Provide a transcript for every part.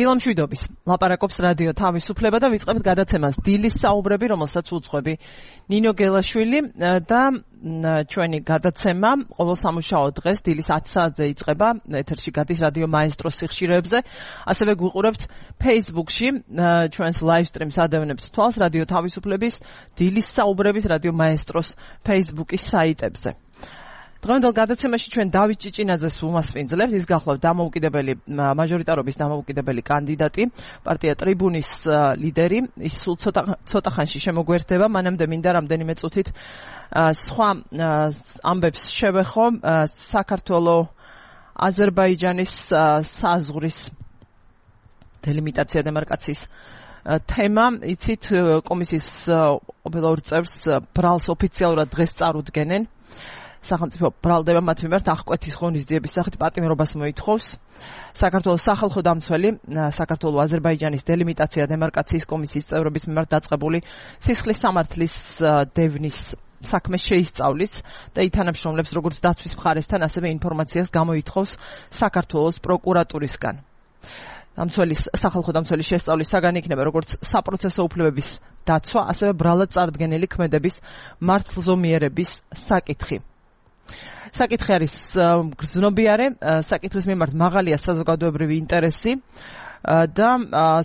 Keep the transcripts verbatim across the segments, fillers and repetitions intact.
დილამშვიდობის ლაპარაკობს რადიო თავისუფლება და ვიწყებთ გადაცემას დილის საუბრები, რომელსაც უძღვები ნინო გელაშვილი და ჩვენი გადაცემა ყოველ სამუშაო დღეს დილის ათი საათზე იწყება, ეთერში გადის რადიო მაესტროს სიხშირეებზე, ასევე გვიყურებთ Facebook-ში, ჩვენს live stream-ს ადევნებთ თვალს რადიო თავისუფლების დილის საუბრების რადიო მაესტროს Facebook-ის საიტებზე. დღევანდელ გადაცემაში ჩვენ დავით ჭიჭინაძეს უმასპინძლებთ, ის გახლავთ დამოუკიდებელი მაჟორიტარობის დამოუკიდებელი კანდიდატი, პარტია ტრიბუნის ლიდერი, ის სულ ცოტა ცოტა ხანში შემოგვერდება, მანამდე მინდა რამდენიმე წუთით სხვა ამბებს შევეხო საქართველოს აზერბაიჯანის საზღვრის დელიმიტაცია დემარკაციის თემა, იცით კომისიის ყოფილ ორ წევრს ბრალს ოფიციალურად დღეს წარუდგენენ. სახელმწიფო ბრალდება მათ მიმართ აღკვეთის ღონისძიების სახით პატიმრობას მოითხოვს. საქართველოს სახალხო დამცველი საქართველოს აზერბაიჯანის დელიმიტაცია დემარკაციის კომისიის წევრების მიმართ დაწყებული სისხლის სამართლის დევნის საქმე შეისწავლის და ითანამშრომლებს როგორც დაცვის მხარესთან, ასევე ინფორმაციას გამოითხოვს საქართველოს პროკურატურისგან. დამცველის სახალხო დამცველის შესწავლის საგანი იქნება როგორც საპროცესო უფლებების დაცვა, ასევე ბრალად წარდგენილი ქმედების მართლზომიერების საკითხი. საკითხი არის გრძნობიარე, საკითხის მიმართ მაღალია საზოგადოებრივი ინტერესი და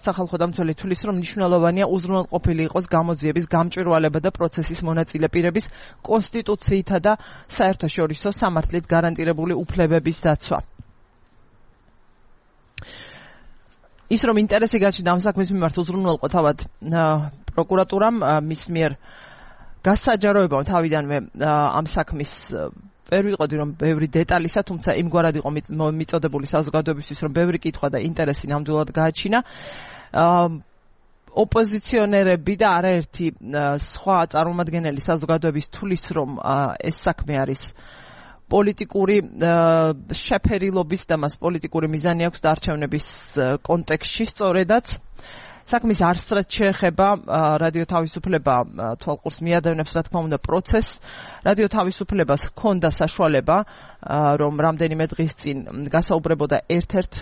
სახალხო დამცველი თვლის, რომ მნიშვნელოვანია უზრუნველყოფილი იყოს გამოძიების გამჭვირვალება და პროცესის მონაწილე პირების კონსტიტუციითა და საერთაშორისო სამართლით გარანტირებული უფლებების დაცვა. ის რომ ინტერესი გაჩნდა ამ საქმის მიმართ უზრუნველყო თავად პროკურატურამ, მის მიერ გასაჯაროებამ თავიდანვე ამ საქმის ვერ ვიყოდი რომ ბევრი დეტალისა, თუმცა იმგვარად იყო მიწოდებული საზოგადოებისთვის, რომ ბევრი კითხვა და ინტერესი ნამდვილად გააჩინა. ოპოზიციონერები და არაერთი სხვა წარმომადგენელი საზოგადოების თulis, რომ ეს საქმე არის პოლიტიკური შეფერილობის და მას პოლიტიკური მიზანი აქვს არჩევნების კონტექსტში სწორედაც. საქმის არსრად შეეხება რადიო თავისუფლება თვალყურს მიადევნებს, რა თქმა უნდა, პროცესს. რადიო თავისუფლებას ჰქონდა საშუალება, რომ რამდენიმე დღის წინ გასაუბრებოდა ერთ-ერთ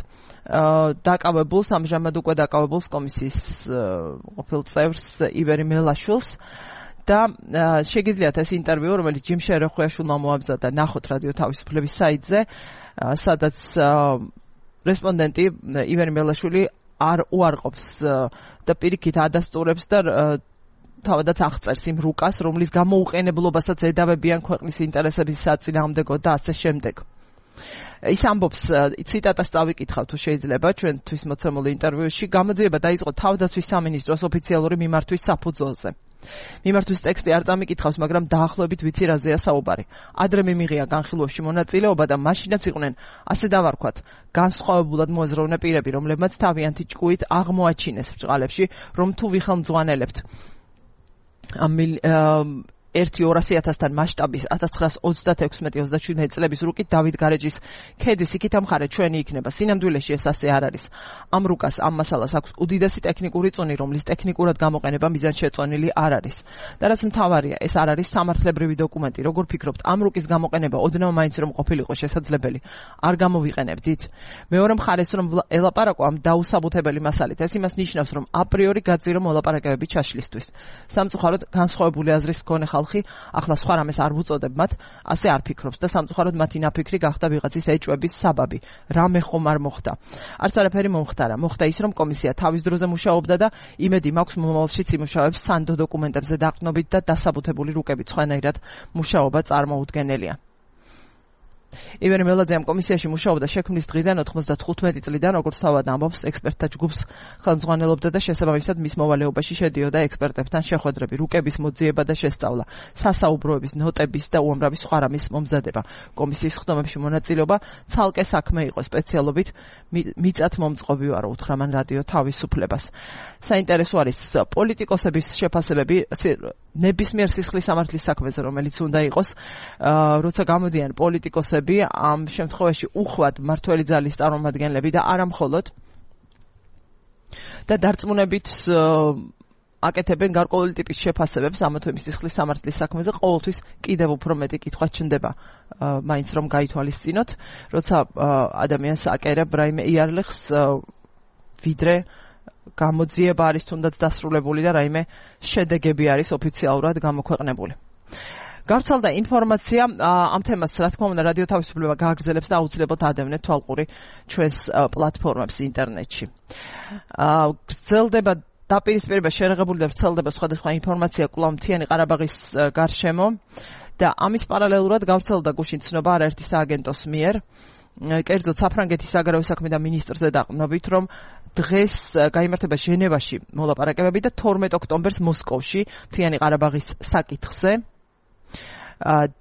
დაკავებულს, ამჟამად უკვე დაკავებულს კომისიის ყოფილ წევრს ივერი მელაშვილს. და შეგიძლიათ ეს ინტერვიუ, რომელიც ჯიმ შერეხვიაშვილმა მოაბზადა, ნახოთ რადიო თავისუფლების საიტზე, სადაც რესპონდენტი ივერი მელაშვილი არ უარყოფს და პირიქით ადასტურებს და თავადაც აღწერს იმ რუკას, რომლის გამოუყენებლობასაც ედავებიან ქვეყნის ინტერესების საწინააღმდეგო და ასე შემდეგ. ის ამბობს, ციტატას წავიკითხავ თუ შეიძლება ჩვენთვის მოცემულ ინტერვიუში, გამოძიება დაიწყო თავდაცვის სამინისტროს ოფიციალური მიმართვის საფუძველზე. მიმართვის ტექსტი არ წამიკითხავს, მაგრამ დაახლოებით ვიცი რაზეა საუბარი. ადრე მიმიღია განხილვებში მონაწილეობა და მაშინაც იყვნენ, ასე დავარქვათ, განსხვავებულად მოაზროვნე პირები, რომლებმაც თავიანთი ჭკუით აღმოაჩინეს ბრჭყალებში, რომ თუ ვიხელმძღვანელებთ ამ ერთი ორასი ათასთან მასშტაბის ათას ცხრაას ოცდათექვსმეტი ოცდაშვიდმეტი წლების რუკით დავით გარეჯის ქედის იქით ამხარე ჩვენი იქნება. სინამდვილეში ეს ასე არ არის. ამ რუკას, ამ მასალას აქვს უდიდესი ტექნიკური წონი, რომლის ტექნიკურად გამოყენება მიზანშეწონილი არ არის. და რაც მთავარია, ეს არ არის სამართლებრივი დოკუმენტი. როგორ ფიქრობთ, ამ რუკის გამოყენება ოდნავ მაინც რომ ყოფილიყო შესაძლებელი, არ გამოვიყენებდით? მეორე მხარეს რომ ელაპარაკო ამ დაუსაბუთებელი მასალით, ეს იმას ნიშნავს, რომ აპრიორი გაძირო მოლაპარაკებები ჩაშლისთვის. სამწუხაროდ განსხვავებული აზრის მქონე ახლა სხვა რამეს არ ვუწოდებ მათ, ასე არ ფიქრობს და სამწუხაროდ მათი ნაფიქრი გახდა ვიღაცის ეჭვების საბაბი. რამე ხომ არ მოხდა. არც არაფერი მომხდარა. მოხდა ის, რომ კომისია თავის დროზე მუშაობდა და იმედი მაქვს მომავალშიც იმუშავებს სანდო დოკუმენტებზე დაყრდნობით და დასაბუთებული რუკებით სხვანაირად მუშაობა წარმოუდგენელია. ივერი მელაძე ამ კომისიაში მუშაობდა შექმნის დღიდან ოთხმოცდათხუთმეტი წლიდან, როგორც თავად ამბობს, ექსპერტთა ჯგუფს ხელმძღვანელობდა და შესაბამისად მის მოვალეობაში შედიოდა ექსპერტებთან შეხვედრები, რუკების მოძიება და შესწავლა, სასაუბროების, ნოტების და უამრავი სხვა რამის მომზადება. კომისიის ხდომებში მონაწილეობა ცალკე საქმე იყო, სპეციალობით მიწათმომწყობი ვარო, უთხრა მან რადიო თავისუფლებას. საინტერესო არის პოლიტიკოსების შეფასებები ნებისმიერ სისხლის სამართლის საქმეზე, რომელიც უნდა იყოს, როცა გამოდიან პოლიტიკოსები, ამ შემთხვევაში უხვად მმართველი ძალის წარმომადგენლები და არა მხოლოდ და დარწმუნებით აკეთებენ გარკვეული ტიპის შეფასებებს ამა თუ იმ სისხლის სამართლის საქმეზე, ყოველთვის კიდევ უფრო მეტი კითხვა ჩნდება, მაინც რომ გაითვალისწინოთ, როცა ადამიანს აკერებ რაიმე იარლეხს ვიდრე გამოძიება არის თუნდაც დასრულებული და რაიმე შედეგები არის ოფიციალურად გამოქვეყნებული. გავრცელდა ინფორმაცია ამ თემას, რა თქმა უნდა, რადიო თავისუფლება გააგრძელებს და აუცილებლად ადევნეთ თვალყური ჩვენს პლატფორმებს ინტერნეტში. გრძელდება დაპირისპირება შერეღებული და ვრცელდება სხვადასხვა ინფორმაცია კვლავ მთიანი ყარაბაღის გარშემო და ამის პარალელურად გავრცელდა გუშინ ცნობა არაერთი სააგენტოს მიერ, კერძოდ საფრანგეთის საგარეო საქმეთა მინისტრზე დაყრდნობით, რომ დღეს გაიმართება ჟენევაში მოლაპარაკებები და თორმეტ ოქტომბერს მოსკოვში მთიანი ყარაბაღის საკითხზე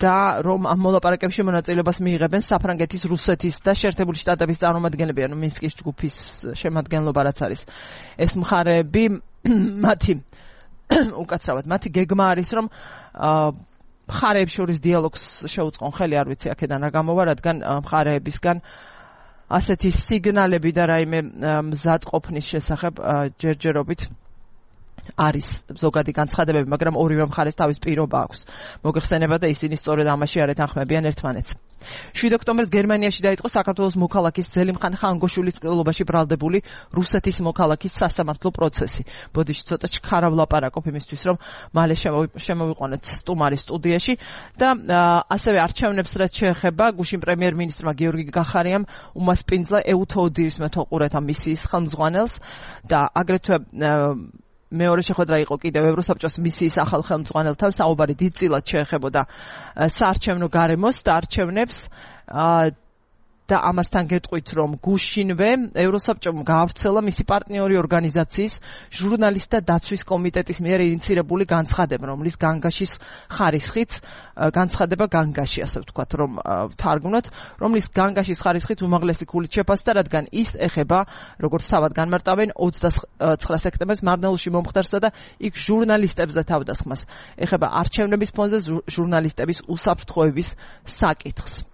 და რომ ამ მოლაპარაკებებში მონაწილეობას მიიღებენ საფრანგეთის, რუსეთის და შეერთებული შტატების წარმომადგენლები, ანუ მინსკის ჯგუფის შემადგენლობა რაც არის. ეს მხარეები მათი უკაცრავად მათი გეგმა არის, რომ მხარეებს შორის დიალოგს შეუწყონ ხელი, არ ვიცი აქედან რა გამოვა, რადგან მხარეებისგან ასეთი სიგნალები და რაიმე მზადყოფნის შესახებ ჯერჯერობით არის ზოგადი განცხადებები, მაგრამ ორივე მხარეს თავის პირობა აქვს. მოგეხსენება და ისინი სწორედ ამაში არ ეთანხმებიან ერთმანეთს. შვიდ ოქტომბერს გერმანიაში დაიწყო საქართველოს მოქალაქის ზელიმხან ხანგოშვილის ყრილობაში ბრალდებული რუსეთის მოქალაქის სასამართლო პროცესი. ბოდიში ცოტა ჩქარა ვლაპარაკობ იმისთვის, რომ მალე შემოვიყვანოთ სტუმარი სტუდიაში და ასევე არჩევნებს რაც შეეხება, გუშინ პრემიერ-მინისტრმა გიორგი გახარიამ უმასპინძლა ეუთოოდირის მეთვალყურეთა მისიის ხელმძღვანელს და აგრეთვე მეორე შეხვედრა იყო კიდევ ევროსაბჭოს მისიის ახალ ხელმძღვანელთან, საუბარი დიდწილად შეეხებოდა საარჩევნო გარემოს და არჩევნებს და ამასთან გეტყვით, რომ გუშინვე ევროსაბჭომ გაავრცელა მისი პარტნიორი ორგანიზაციის ჟურნალისტთა დაცვის კომიტეტის მიერ ინიცირებული განცხადება, რომლის განგაშის ხარისხიც განცხადება განგაში, ასე ვთქვათ, რომ თარგმნოთ, რომლის განგაშის ხარისხიც უმაღლესი ქულით შეფასდა, რადგან ის ეხება, როგორც თავად განმარტავენ, ოცდაცხრა სექტემბერს მარნეულში მომხდარსა და იქ ჟურნალისტებს და თავდასხმას ეხება არჩევნების ფონზე ჟურნალისტების უსაფრთხოების საკითხს.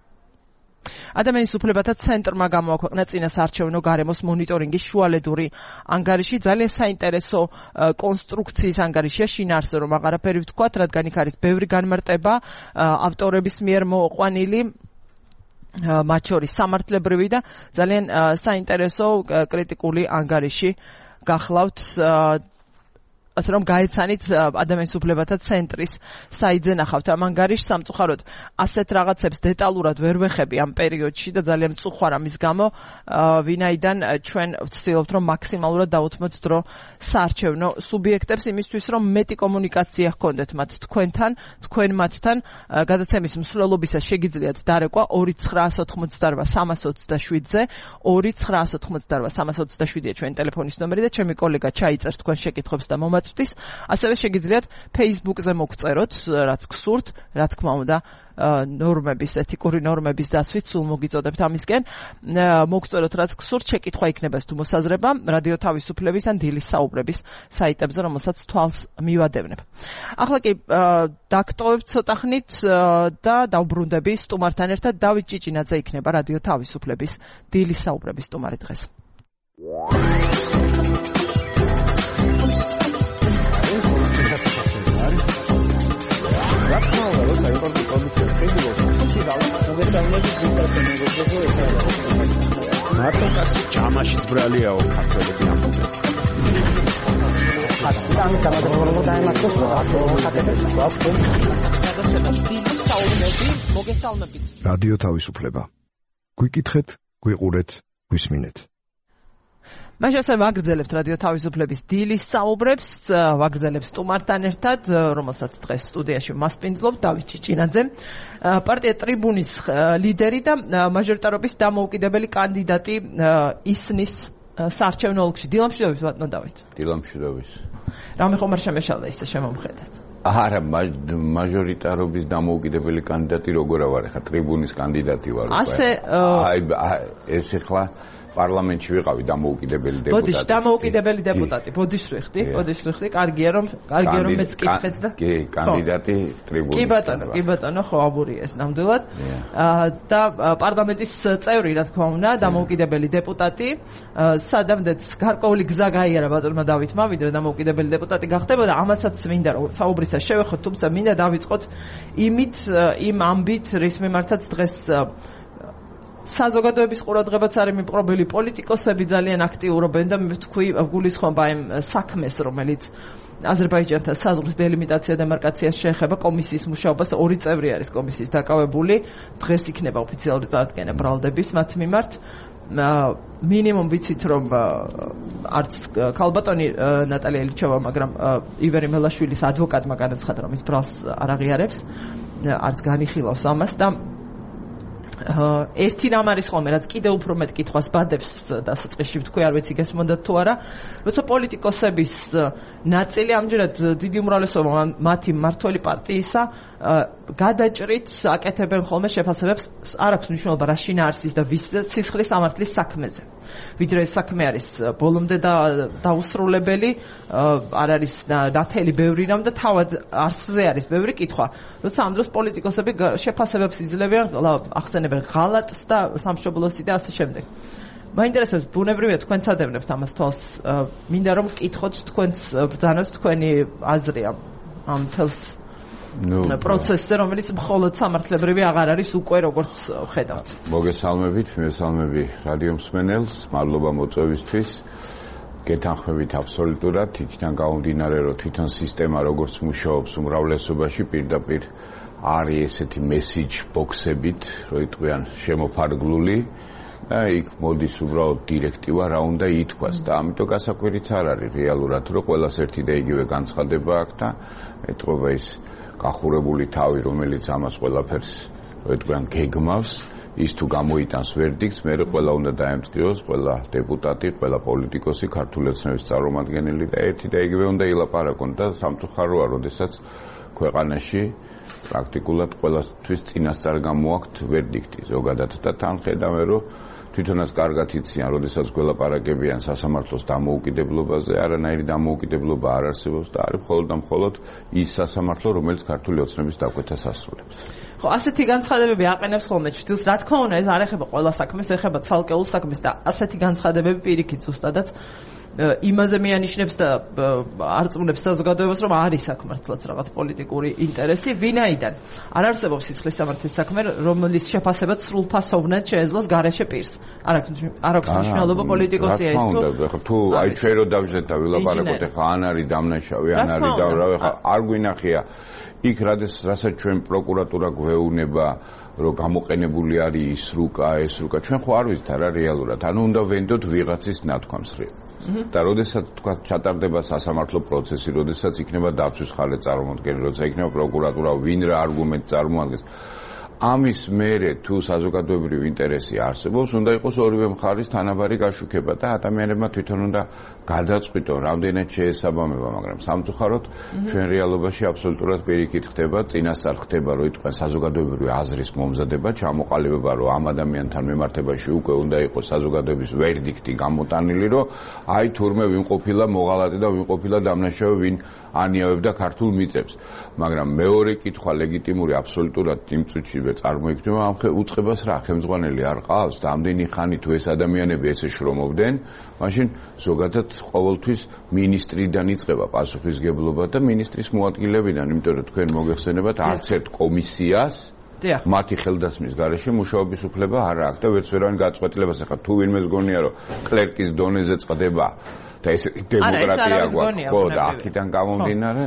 ადამიანის უფლებათა ცენტრმა გამოაქვეყნა წინასაარჩევნო გარემოს მონიტორინგის შუალედური ანგარიში. ძალიან საინტერესო კონსტრუქციის ანგარიშია, შინაარსზე რომ აღარაფერი ვთქვათ, რადგან იქ არის ბევრი განმარტება ავტორების მიერ მოყვანილი, მათ შორის სამართლებრივი და ძალიან საინტერესო კრიტიკული ანგარიში გახლავთ, ასე რომ გაეცანით ადამიანის უფლებათა ცენტრის საიტზე ნახავთ ამ ანგარიშს. სამწუხაროდ ასეთ რაღაცებს დეტალურად ვერ ვეხები ამ პერიოდში და ძალიან მწუხვარ ამის გამო, ვინაიდან ჩვენ ვცდილობთ, რომ მაქსიმალურად დავუთმოთ დრო საარჩევნო სუბიექტებს იმისთვის, რომ მეტი კომუნიკაცია ჰქონდეთ მათ თქვენთან, თქვენ მათთან. გადაცემის მსვლელობისას შეგიძლიათ დარეკვა ორი ცხრაას ოთხმოცდარვა სამას ოცდაშვიდზე, ორი ცხრაას ოთხმოცდარვა სამას ოცდაშვიდია ჩვენი ტელეფონის ნომერი და ჩემი კოლეგა ჩაიწერს თქვენ შეკითხვებს და მომაწვევს. ასევე შეგიძლიათ Facebook-ზე მოგწეროთ, რაც გსურთ, რა თქმა უნდა, ნორმების, ეთიკური ნორმების დაცვით სულ მოგიწოდებთ ამისკენ. მოგწეროთ, რაც გსურთ, შეკითხვა იქნება თუ მოსაზრება რადიო თავისუფლების ან დილის საუბრების საიტებზე, რომელსაც თვალს მივადევნებ. ახლა კი დაგტოვებ ცოტა ხნით და დავბრუნდები სტუმართან ერთად. დავით ჭიჭინაძე იქნება რადიო თავისუფლების დილის საუბრების სტუმარი დღეს. მარტო კაცი ჯამაშიც ბრალიაო ქართველები ამბობენ. ხატი გამაგრებული დაემართოს რადიო თავისუფლება. გვიკითხეთ, გვიყურეთ, გვისმინეთ. მაშინ ასე ვაგრძელებთ რადიო თავისუფლების დილის საუბრებს, ვაგრძელებ სტუმართან ერთად, რომელსაც დღეს სტუდიაში მასპინძლობ, დავით ჭიჭინაძე, პარტია ტრიბუნის ლიდერი და მაჟორიტარობის დამოუკიდებელი კანდიდატი ისნის საარჩევნო ოლქში. დილამშვიდობის ბატონო დავით. დილამშვიდობის. რამე ხომ არ შემეშალა ისე შემომხედეთ? არა, მაჟორიტარობის დამოუკიდებელი კანდიდატი როგორ ვარ, ხა ტრიბუნის კანდიდატი ვარ. ასე აი ეს ახლა პარლამენტში ვიყავი დამოუკიდებელი დეპუტატი. ბოდიში დამოუკიდებელი დეპუტატი. ბოდიში ვიხდი, ბოდიში ვიხდი. კარგია რომ, კარგია რომ მეც კითხეთ და. კი, კანდიდატი ტრიბუნის. კი ბატონო, კი ბატონო, ხო აბურია ეს ნამდვილად. და პარლამენტის წევრი, რა თქმა უნდა, დამოუკიდებელი დეპუტატი. სადამდეც გარკვეული გზა გაიარა ბატონმა დავითმა, ვიდრე დამოუკიდებელი დეპუტატი გახდებოდა. ამასაც მინდა რომ საუბრისას შევეხოთ, თუმცა მინდა დავიწყოთ იმით, იმ ამბით, რის მიმართაც დღეს საზოგადოების ყურადღებაც არის მიპყრობილი, პოლიტიკოსები ძალიან აქტიურობენ და მე ვთქვი, გულისხმობა იმ საქმეს, რომელიც აზერბაიჯანთან საზღვრის დელიმიტაცია დემარკაციას შეეხება კომისიის მუშაობას. ორი წევრი არის კომისიის დაკავებული. დღეს იქნება ოფიციალური წარდგენა ბრალდების მათ მიმართ. მინიმუმ ვიცით რომ არც ქალბატონი ნატალია ილჩევა, მაგრამ ივერი მელაშვილის ადვოკატმა განაცხადა, რომ ის ბრალს არ აღიარებს, არც განიხილავს ამას და ერთი რამ არის ხოლმე, რაც კიდევ უფრო მეტ კითხვას ბადებს დასაწყისში ვთქვი, არ ვიცი გესმოდათ თუ არა, როცა პოლიტიკოსების ნაწილი ამჯერად დიდი უმრავლესობა მათი მმართველი პარტიისა გადაჭრით აკეთებენ ხოლმე შეფასებებს, არ აქვს მნიშვნელობა რა შინაარსის და ვის სისხლის სამართლის საქმეზე. ვიდრე ეს საქმე არის ბოლომდე დაუსრულებელი, არ არის ნათელი ბევრი რამ და თავად არსზე არის ბევრი კითხვა. როცა ამ დროს პოლიტიკოსები შეფასებებს იძლევიან, ახსენებენ ღალატს და სამშობლოსი და ასე შემდეგ. მაინტერესებს, ბუნებრივია თქვენც ადევნებთ ამას თვალს. მინდა რომ ვკითხოთ თქვენს ბრძანოთ თქვენი აზრი ამ თელს პროცესზე, რომელიც მხოლოდ სამართლებრივი აღარ არის უკვე როგორც ხედავთ. მოგესალმებით, მესალმები რადიო მსმენელს, მადლობა მოწვევისთვის. გეთანხმებით აბსოლუტურად, იქიდან გამომდინარე, რომ თვითონ სისტემა როგორც მუშაობს უმრავლესობაში პირდაპირ არის ესეთი მესიჯ ბოქსებით, რომ იტყვიან შემოფარგლული და იქ მოდის უბრალოდ დირექტივა რა უნდა ითქვას და ამიტომ გასაკვირიც არ არის რეალურად, რომ ყველას ერთი და იგივე განცხადება აქვს და ეტყობა ის გახურებული თავი, რომელიც ამას ყველაფერს ეტყვიან გეგმავს, ის თუ გამოიტანს ვერდიქტს, მე ყველა უნდა დაემწყიოს, ყველა დეპუტატი, ყველა პოლიტიკოსი, ქართული ოცნების წარმომადგენელი და ერთი და იგივე უნდა ილაპარაკონ და სამწუხაროა, როდესაც ქვეყანაში პრაქტიკულად ყველასთვის წინასწარ გამოაქვთ ვერდიქტი ზოგადად და თან ხედავენ, რომ თვითონაც კარგად იციან, როდესაც გველაპარაკებიან სასამართლოს დამოუკიდებლობაზე, არანაირი დამოუკიდებლობა არ არსებობს და არის მხოლოდ და მხოლოდ ის სასამართლო, რომელიც ქართული ოცნების დაკვეთას ასრულებს. ხო, ასეთი განცხადებები აყენებს ხოლმე ჩრდილს, რა თქმა უნდა, ეს არ ეხება ყველა საქმეს, ეხება ცალკეულ საქმეს და ასეთი განცხადებები პირიქით ზუსტადაც იმაზე მიანიშნებს და არწმუნებს საზოგადოებას, რომ არის საქმართლაც რაღაც პოლიტიკური ინტერესი, ვინაიდან არ არსებობს სისხლის სამართლის საქმე, რომლის შეფასებაც სრულფასოვნად შეეძლოს გარეშე პირს. არ აქვს მნიშვნელობა პოლიტიკოსია ის თუ თუ აი ჩვენ რო დავждეთ და ვილაპარაკოთ, ეხლა ან არის დამნაშავე, ან არის დავრავე, ეხლა არ გვინახია იქ რასაც ჩვენ პროკურატურა გვეუბნება, რომ გამოყენებული არის ის რუკა, ეს რუკა, ჩვენ ხო არ ვიცით რა რეალურად, ანუ უნდა ვენდოთ ვიღაცის ნათქვამს რე. და როდესაც თქვა ჩატარდება სასამართლო პროცესი, როდესაც იქნება დაცვის ხალე წარმოადგენელი, როცა იქნება პროკურატურა ვინ რა არგუმენტ წარმოადგენს, ამის მერე თუ საზოგადოებრივი ინტერესი არსებობს, უნდა იყოს ორივე მხარის თანაბარი გაშუქება და ადამიანებმა თვითონ უნდა გადაწყვიტონ, რამდენად შეესაბამება, მაგრამ სამწუხაროდ ჩვენ რეალობაში აბსოლუტურად პირიქით ხდება, წინასწარ ხდება, რომ იტყვიან საზოგადოებრივი აზრის მომზადება, ჩამოყალიბება, რომ ამ ადამიანთან მიმართებაში უკვე უნდა იყოს საზოგადოების ვერდიქტი გამოტანილი, რომ აი თურმე ვინ ყოფილა მოღალატე და ვინ ყოფილა დამნაშავე, ვინ ანიავებდა ქართულ მიწებს. მაგრამ მეორე კითხვა ლეგიტიმური აბსოლუტურად იმ წუთში წარმოიქმნება, ამ უწყებას რა ხელმძღვანელი არ ყავს და ამდენი ხანი თუ ეს ადამიანები ესე შრომობდნენ, მაშინ ზოგადად ყოველთვის მინისტრიდან იწყება პასუხისგებლობა და მინისტრის მოადგილებიდან, იმიტომ რომ თქვენ მოგეხსენებათ არც ერთ კომისიას მათი ხელდასმის გარეშე მუშაობის უფლება არ აქვს და ვერც ვერავინ გაწყვეტილებას ახლა თუ ვინმეს გონია რომ კლერკის დონეზე წდება და ეს დემოკრატია გვაქვს, ხო და აქედან გამომდინარე,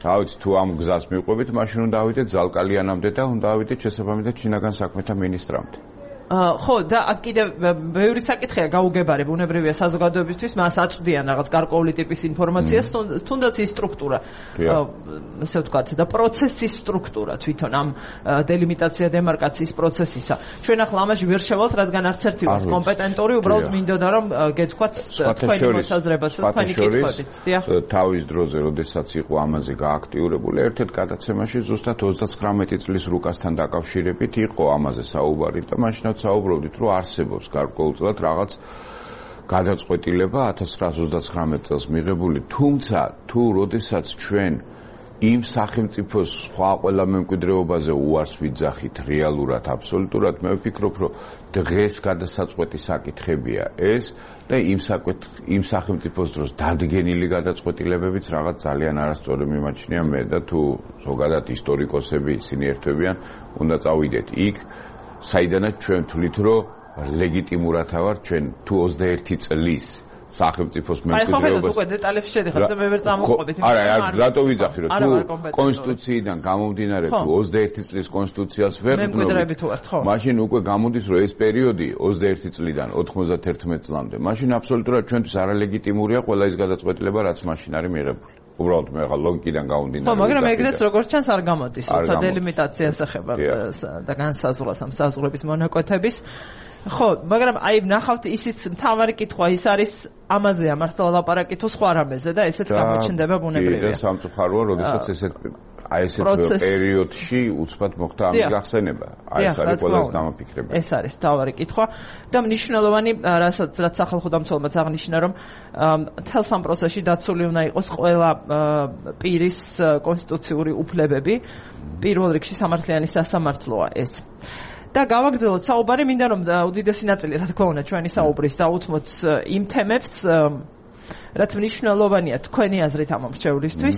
რა ვიცი, თუ ამ გზას მივყვებით, მაშინ უნდა ავიდეთ ზალკალიანამდე და უნდა ავიდეთ შესაბამისად შინაგან საქმეთა მინისტრამდე. ხო და აქ კიდევ ბევრი საკითხია გაუგებარი, ბუნებრივია საზოგადოებისთვის, მას აწვდიან რაღაც გარკვეული ტიპის ინფორმაციას, თუნდაც ის სტრუქტურა, ასე ვთქვათ, და პროცესის სტრუქტურა თვითონ ამ დელიმიტაცია დემარკაციის პროცესისა. ჩვენ ახლა ამაში ვერ შევალთ, რადგან არც ერთი ვართ კომპეტენტური, უბრალოდ მინდოდა რომ გეთქვათ თქვენი მოსაზრებას და თქვენი კითხვებით. თავის დროზე, როდესაც იყო ამაზე გააქტიურებული, ერთ-ერთ გადაცემაში ზუსტად ოცდაცხრამეტი წლის რუკასთან დაკავშირებით იყო ამაზე საუბარი და მაშინ საუბრობდით, რომ არსებობს გარკვეულწილად რაღაც გადაწყვეტილება ათას ცხრაასი ოცდაცხრამეტ წელს მიღებული, თუმცა თუ როდესაც ჩვენ იმ სახელმწიფოს სხვა ყველა მემკვიდრეობაზე უარს ვიძახით რეალურად, აბსოლუტურად, მე ვფიქრობ, რომ დღეს გადასაწყვეტი საკითხებია ეს და იმ იმ სახელმწიფოს დროს დადგენილი გადაწყვეტილებებიც რაღაც ძალიან არასწორი მიმაჩნია მე და თუ ზოგადად ისტორიკოსები ისინი ერთვებიან, უნდა წავიდეთ იქ, საიდანაც ჩვენ ვთვლით, რომ ლეგიტიმურათა ვარ ჩვენ თუ ოცდაერთი წლის სახელმწიფოს მემკვიდრეობას. აი ხო ხედავთ უკვე დეტალებში შედიხართ და მე ვერ წამოვყვებით. არა, რატო ვიძახი რომ თუ კონსტიტუციიდან გამომდინარე თუ ოცდაერთი წლის კონსტიტუციას ვერ მემკვიდრეები თუ ვართ, ხო? მაშინ უკვე გამოდის რომ ეს პერიოდი ოცდაერთი წლიდან ოთხმოცდათერთმეტი წლამდე, მაშინ აბსოლუტურად ჩვენთვის არალეგიტიმურია ყველა ის გადაწყვეტილება, რაც მაშინ არის მიღებული. უბრალოდ მე ახლა ლოგიკიდან გავუნდინარე. ხო, მაგრამ ეგრეც როგორც ჩანს არ გამოდის, როცა დელიმიტაციას ეხება და განსაზღვრას ამ საზღვრების მონაკვეთების. ხო, მაგრამ აი ნახავთ ისიც მთავარი კითხვა ის არის ამაზეა მართლა ლაპარაკი თუ სხვა რამეზე და ესეც გამოჩნდება ბუნებრივია. და სამწუხაროა, როდესაც ესეთ აი ესეთ პერიოდში უცბად მოხდა ამის გახსენება. აი ეს არის ყველაზე დამაფიქრებელი. ეს არის მთავარი კითხვა და მნიშვნელოვანი რასაც რაც სახალხო დამცველობაც აღნიშნა რომ მთელ სამ პროცესში დაცული უნდა იყოს ყველა პირის კონსტიტუციური უფლებები. პირველ რიგში სამართლიანი სასამართლოა ეს. და გავაგრძელოთ საუბარი, მინდა რომ უდიდესი ნაწილი, რა თქმა უნდა, ჩვენი საუბრის დაუთმოთ იმ თემებს, რაც მნიშვნელოვანია თქვენი აზრით ამ მრჩევლისთვის.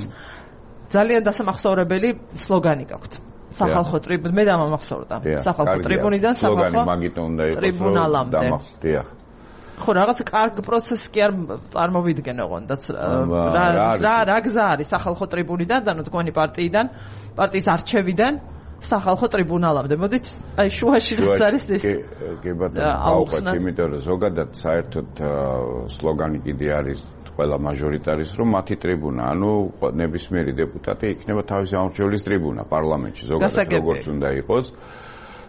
ძალიან დასამახსოვრებელი სლოგანი გაქვთ. სახალხო ტრიბუნი, მე დამამახსოვრდა. სახალხო ტრიბუნიდან სახალხო ტრიბუნალამდე. ხო, რაღაც კარგ პროცესი კი არ წარმოვიდგენ ოღონდაც. რა რა გზა არის სახალხო ტრიბუნიდან და თქვენი პარტიიდან, პარტიის არჩევიდან სახალხო ტრიბუნალამდე. მოდით, აი შუაში რაც არის ეს. კი ბატონო, აუხსნათ, იმიტომ რომ ზოგადად საერთოდ სლოგანი კიდე არის ყველა მაჟორიტარის რომ მათი ტრიბუნა, ანუ ნებისმიერი დეპუტატი იქნება თავისი ამორჩევლის ტრიბუნა პარლამენტში, ზოგადად როგორც უნდა იყოს.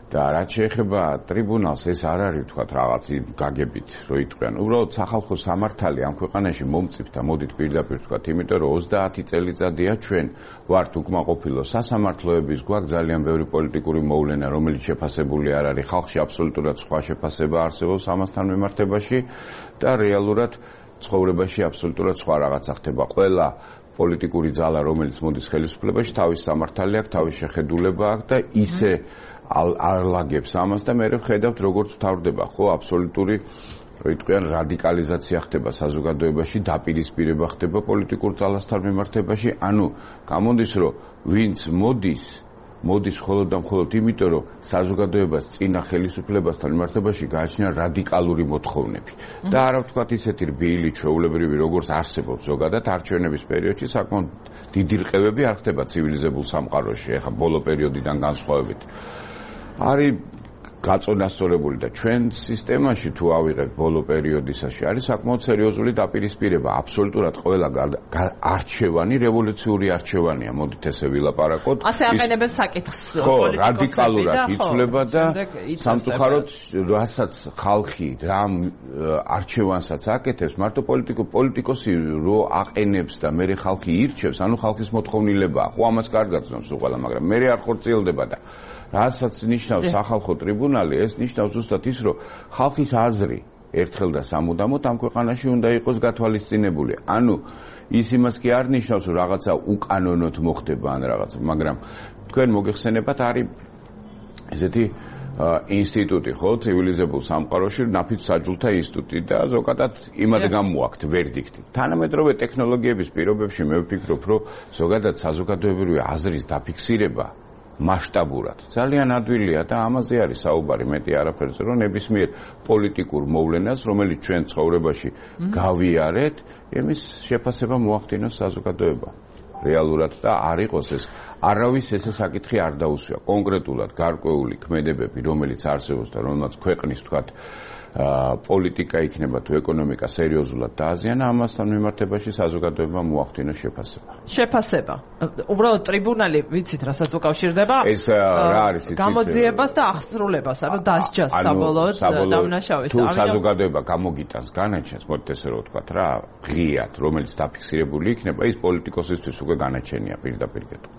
და რაც შეეხება ტრიბუნალს, ეს არ არის თქვათ რაღაც გაგებით, რომ იტყვიან. უბრალოდ სახალხო სამართალი ამ ქვეყანაში მომწიფთ და მოდით პირდაპირ თქვათ, იმიტომ რომ ოცდაათი წელიწადია ჩვენ ვართ უკმაყოფილო სასამართლოების, გვაქვს ძალიან ბევრი პოლიტიკური მოვლენა, რომელიც შეფასებული არ არის. ხალხში აბსოლუტურად სხვა შეფასება არსებობს ამასთან მიმართებაში და რეალურად ცხოვრებაში აბსოლუტურად სხვა რაღაცა ხდება. ყველა პოლიტიკური ძალა, რომელიც მოდის ხელისუფლებაში, თავის სამართალი აქვს, თავის შეხედულება აქვს და ისე არლაგებს ამას და მე ვხედავთ როგორც ვთავრდება, ხო, აბსოლუტური, რო იტყვიან, რადიკალიზაცია ხდება საზოგადოებაში, დაპირისპირება ხდება პოლიტიკურ ძალასთან მიმართებაში, ანუ გამოდის, რომ ვინც მოდის, მოდის მხოლოდ და მხოლოდ იმიტომ, რომ საზოგადოებას წინა ხელისუფლებასთან მიმართებაში გააჩნია რადიკალური მოთხოვნები. და არა ვთქვათ ისეთი რბილი, ჩვეულებრივი, როგორც არსებობს ზოგადად არჩევნების პერიოდში, საკმაოდ დიდი რყევები არ ხდება ცივილიზებულ სამყაროში, ეხა ბოლო პერიოდიდან განსხვავებით. არის გაწონასწორებული და ჩვენ სისტემაში თუ ავიღებთ ბოლო პერიოდისაში არის საკმაოდ სერიოზული დაპირისპირება. აბსოლუტურად ყველა არჩევანი რევოლუციური არჩევანია. მოდით ესე ვილაპარაკოთ. ასე აყენებენ საკითხს პოლიტიკოსები. რადიკალურად იცვლება და სამწუხაროდ რასაც ხალხი რამ არჩევანსაც აკეთებს, მარტო პოლიტიკო პოლიტიკოსი რო აყენებს და მე ხალხი ირჩევს, ანუ ხალხის მოთხოვნილებაა. ხო, ამას კარგად ზნობს უყალა, მაგრამ მე არ ხორციელდება და რასაც ნიშნავს სახალხო ტრიბუნალი, ეს ნიშნავს ზუსტად ის, რომ ხალხის აზრი ერთხელ და სამუდამოდ ამ ქვეყანაში უნდა იყოს გათვალისწინებული. ანუ ის იმას კი არ ნიშნავს, რომ რაღაცა უკანონოდ მოხდება ან რაღაცა, მაგრამ თქვენ მოგეხსენებათ არის ესეთი ინსტიტუტი, ხო, ცივილიზებულ სამყაროში, ნაფიც საჯულთა ინსტიტუტი და ზოგადად იმად გამოაქვთ ვერდიქტი. თანამედროვე ტექნოლოგიების პირობებში მე ვფიქრობ, რომ ზოგადად საზოგადოებრივი აზრის დაფიქსირება მასშტაბურად ძალიან ადვილია და ამაზე არის საუბარი მეტი არაფერზე, რომ ნებისმიერ პოლიტიკურ მოვლენას, რომელიც ჩვენ ცხოვრებაში გავიარეთ, იმის შეფასება მოახდინოს საზოგადოება. რეალურად და არ იყოს ეს არავის ესე საკითხი არ დაუსვია. კონკრეტულად გარკვეული ქმედებები, რომელიც არსებობს და რომელსაც ქვეყნის თქვათ პოლიტიკა იქნება თუ ეკონომიკა სერიოზულად დააზიანა, ამასთან მიმართებაში საზოგადოებამ მოახდინოს შეფასება. შეფასება. უბრალოდ ტრიბუნალი, ვიცით, რასაც უკავშირდება? ეს რა არის იცით? გამოძიებას და აღსრულებას, ანუ დასჯას საბოლოოდ დამნაშავეს. თუ საზოგადოება გამოგიტანს განაჩენს, მოდით ესე რომ ვთქვათ რა, ღიად, რომელიც დაფიქსირებული იქნება, ის პოლიტიკოსისთვის უკვე განაჩენია პირდაპირ კეთო.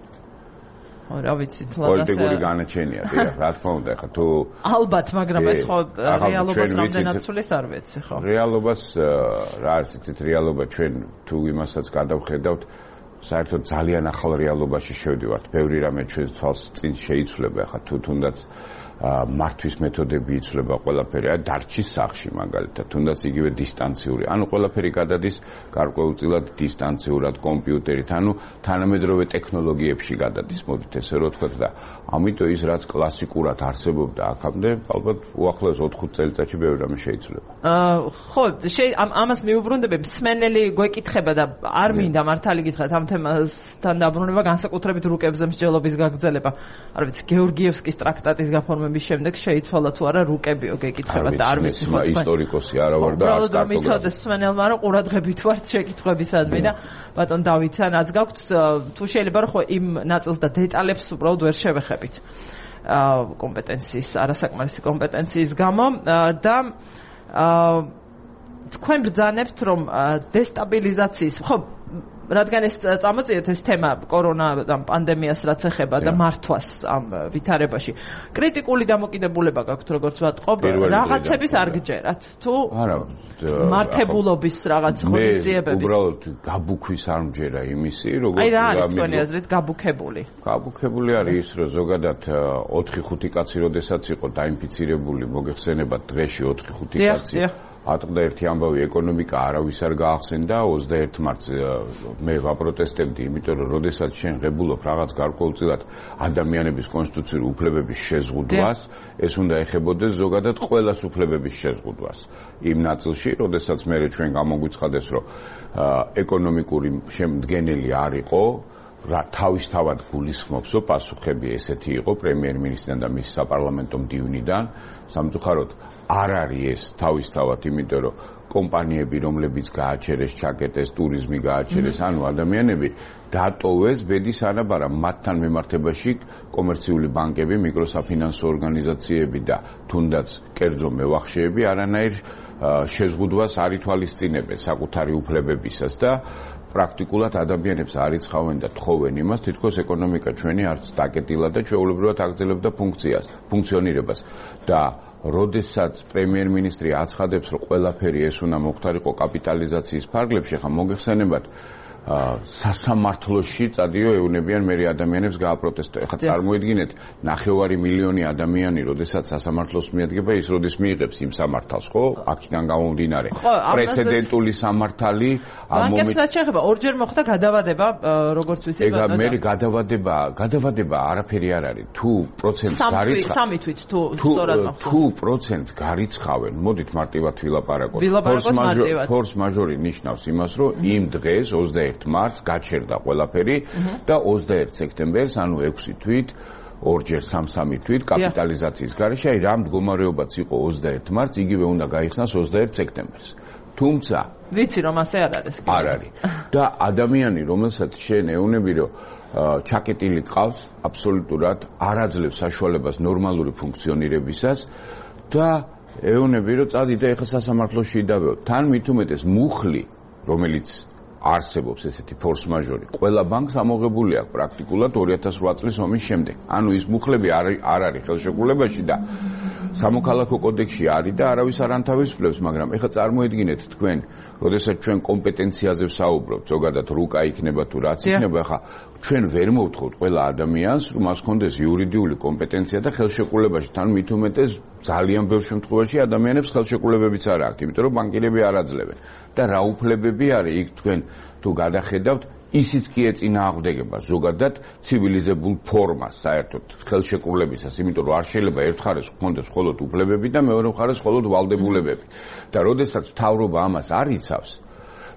რა vicit, პოლიტიკური განაჩენია, დიახ, რა თქმა უნდა, ხა თუ ალბათ, მაგრამ ეს ხო რეალობას რამდენად ცulis არ ვიცი, ხო. რეალობას რა არის იცით, რეალობა ჩვენ თუ იმასაც გადავხედავთ, საერთოდ ძალიან ახალ რეალობაში შევდივართ. ბევრი რამე ჩვენს თვალს წინ შეიცვლება, ხა თუ თუნდაც მართვის მეთოდები იცვლება ყველაფერი, აი დარჩის სახში მაგალითად, თუნდაც იგივე დისტანციური. ანუ ყველაფერი გადადის გარკვეულწილად დისტანციურად კომპიუტერით, ანუ თანამედროვე ტექნოლოგიებში გადადის, მოდით ესე რომ ვთქვათ და ამიტომ ის რაც კლასიკურად არსებობდა აქამდე, ალბათ უახლოეს ოთხ წელიწადში ბევრი რამე შეიცვლება. აა ხო, ამას მიუბრუნდები, მსმენელი გვეკითხება და არ მინდა მართალი გითხრათ ამ თემასთან დაბრუნება განსაკუთრებით რუკებზე მსჯელობის გაგრძელება. არ ვიცი, გეორგიევსკის ტრაქტატის გაფორმების შემდეგ შეიცვალა თუ არა რუკებიო გეკითხება და არ ვიცი ხო ისტორიკოსი არა ვარ და არც კარტოგრაფი. მიცოდეს მსმენელმა რომ ყურადღებით ვართ შეკითხვებისადმი და ბატონ დავითს რაც გაქვთ თუ შეიძლება რომ ხო იმ ნაწილს და დეტალებს უბრალოდ ვერ შევეხებით. კომპეტენციის, არასაკმარისი კომპეტენციის გამო და თქვენ ბრძანებთ რომ დესტაბილიზაციის ხო რადგან ეს წამოწიეთ ეს თემა კორონა პანდემიას რაც ეხება და მართვას ამ ვითარებაში კრიტიკული დამოკიდებულება გაქვთ როგორც ვატყობ რაღაცების არ გჯერათ თუ არა მართებულობის რაღაც ღონისძიებების უბრალოდ გაბუქვის არ მჯერა იმისი როგორც აი რა არის თქვენი აზრით გაბუქებული გაბუქებული არის ის რომ ზოგადად ოთხი ხუთი კაცი როდესაც იყო დაინფიცირებული მოგეხსენებათ დღეში ოთხი ხუთი კაცი ატყდა ერთი ამბავი ეკონომიკა არავის არ გაახსენდა ოცდაერთ მარტს მე ვაპროტესტებდი იმიტომ რომ როდესაც შენ ღებულობ რაღაც გარკვეულწილად ადამიანების კონსტიტუციური უფლებების შეზღუდვას ეს უნდა ეხებოდეს ზოგადად ყველას უფლებების შეზღუდვას იმ ნაწილში როდესაც მე ჩვენ გამოგვიცხადეს რომ ეკონომიკური შემდგენელი არ იყო რა თავისთავად გულისხმობსო პასუხები ესეთი იყო პრემიერ-მინისტრიდან და მის საპარლამენტო მდივნიდან სამწუხაროდ არ არის ეს თავისთავად იმიტომ რომ კომპანიები რომლებიც გააჩერეს ჩაკეტეს ტურიზმი გააჩერეს ანუ ადამიანები დატოვეს ბედის ანაბარა მათთან მიმართებაში კომერციული ბანკები მიკროსაფინანსო ორგანიზაციები და თუნდაც კერძო მევახშეები არანაირ შეზღუდვას არ ითვალისწინებენ საკუთარი უფლებებისას და პრაქტიკულად ადამიანებს არ იცხავენ და თხოვენ იმას, თითქოს ეკონომიკა ჩვენი არც დაკეტილა და ჩვეულებრივად აგრძელებდა ფუნქციას, ფუნქციონირებას და როდესაც პრემიერ-მინისტრი აცხადებს, რომ ყველაფერი ეს უნდა მოხდარიყო კაპიტალიზაციის ფარგლებში, ხა მოგეხსენებათ სასამართლოში წადიო ეუნებიან მერე ადამიანებს გააპროტესტო. ეხლა წარმოიდგინეთ, ნახევარი მილიონი ადამიანი, როდესაც სასამართლოს მიადგება, ის როდის მიიღებს იმ სამართალს, ხო? აქედან გამომდინარე. პრეცედენტული სამართალი ამ მომენტში ბანკებს შეეხება ორჯერ მოხდა გადავადება, როგორც ვიცით. ეგა მე გადავადება, გადავადება არაფერი არ არის. თუ პროცენტს გარიცხავენ, სამი თვით თუ სწორად მოხდა. თუ პროცენტს გარიცხავენ, მოდით მარტივად ვილაპარაკოთ. ფორს მაჟორი ნიშნავს იმას, რომ იმ დღეს ოცდაერთ მარტს გაჩერდა ყველაფერი და ოცდაერთ სექტემბერს, ანუ ექვსი თვით, ორჯერ სამ-სამი თვით კაპიტალიზაციის გარეშე, აი რა მდგომარეობაც იყო ოცდაერთ მარტს, იგივე უნდა გაიხსნას ოცდაერთ სექტემბერს. თუმცა ვიცი რომ ასე არ არის. არ არის. და ადამიანი, რომელსაც შენ ეუნები, რომ ჩაკეტილი ყავს, აბსოლუტურად არ აძლევს საშუალებას ნორმალური ფუნქციონირებისას და ეუნები, რომ წადი და ეხლა სასამართლოში იდავეო. თან მით უმეტეს მუხლი, რომელიც არსებობს ესეთი ფორს მაჟორი. ყველა ბანკს ამოღებული აქვს პრაქტიკულად ორი ათას ოთხ წლის ომის შემდეგ. ანუ ის მუხლები არ არ არის ხელშეკრულებაში და სამოქალაქო კოდექსში არის და არავის არ ანთავისუფლებს, მაგრამ ეხლა წარმოედგინეთ თქვენ, როდესაც ჩვენ კომპეტენციაზე ვსაუბრობთ, ზოგადად რუკა იქნება თუ რაც იქნება, ეხლა ჩვენ ვერ მოვთხოვთ ყველა ადამიანს, რომ მას ჰქონდეს იურიდიული კომპეტენცია და ხელშეკრულებაში, თან მით უმეტეს ძალიან ბევრ შემთხვევაში ადამიანებს ხელშეკრულებებიც არ აქვთ, იმიტომ რომ ბანკირები არ აძლევენ. და რა უფლებები არის იქ თქვენ თუ გადახედავთ ისიც კი ეწინააღმდეგება ზოგადად ცივილიზებულ ფორმას საერთოდ ხელშეკრულებისას, იმიტომ რომ არ შეიძლება ერთ მხარეს გქონდეს მხოლოდ უფლებები და მეორე მხარეს მხოლოდ ვალდებულებები. და როდესაც მთავრობა ამას არ იცავს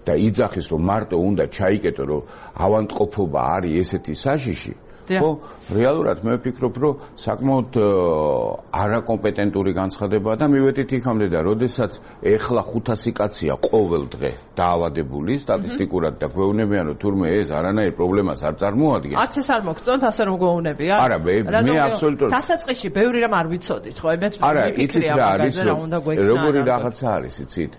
და იძახის რომ მარტო უნდა ჩაიკეტო რომ ავანტყოფობა არის ესეთი საშიში, ხო, რეალურად მე ვფიქრობ, რომ საკმაოდ არაკომპეტენტური განცხადებაა და მივედით იქამდე და როდესაც ეხლა ხუთასი კაცია ყოველ დღე დაავადებული სტატისტიკურად და გვეუბნებიან რომ თურმე ეს არანაირ პრობლემას არ წარმოადგენს. არც ეს არ მოგწონთ ასე რომ გვეუბნებიან? არა, მე მე აბსოლუტურად დასაწყისში ბევრი რამ არ ვიცოდით, ხო? მე არა, იცით რა არის, როგორი რაღაცა არის, იცით?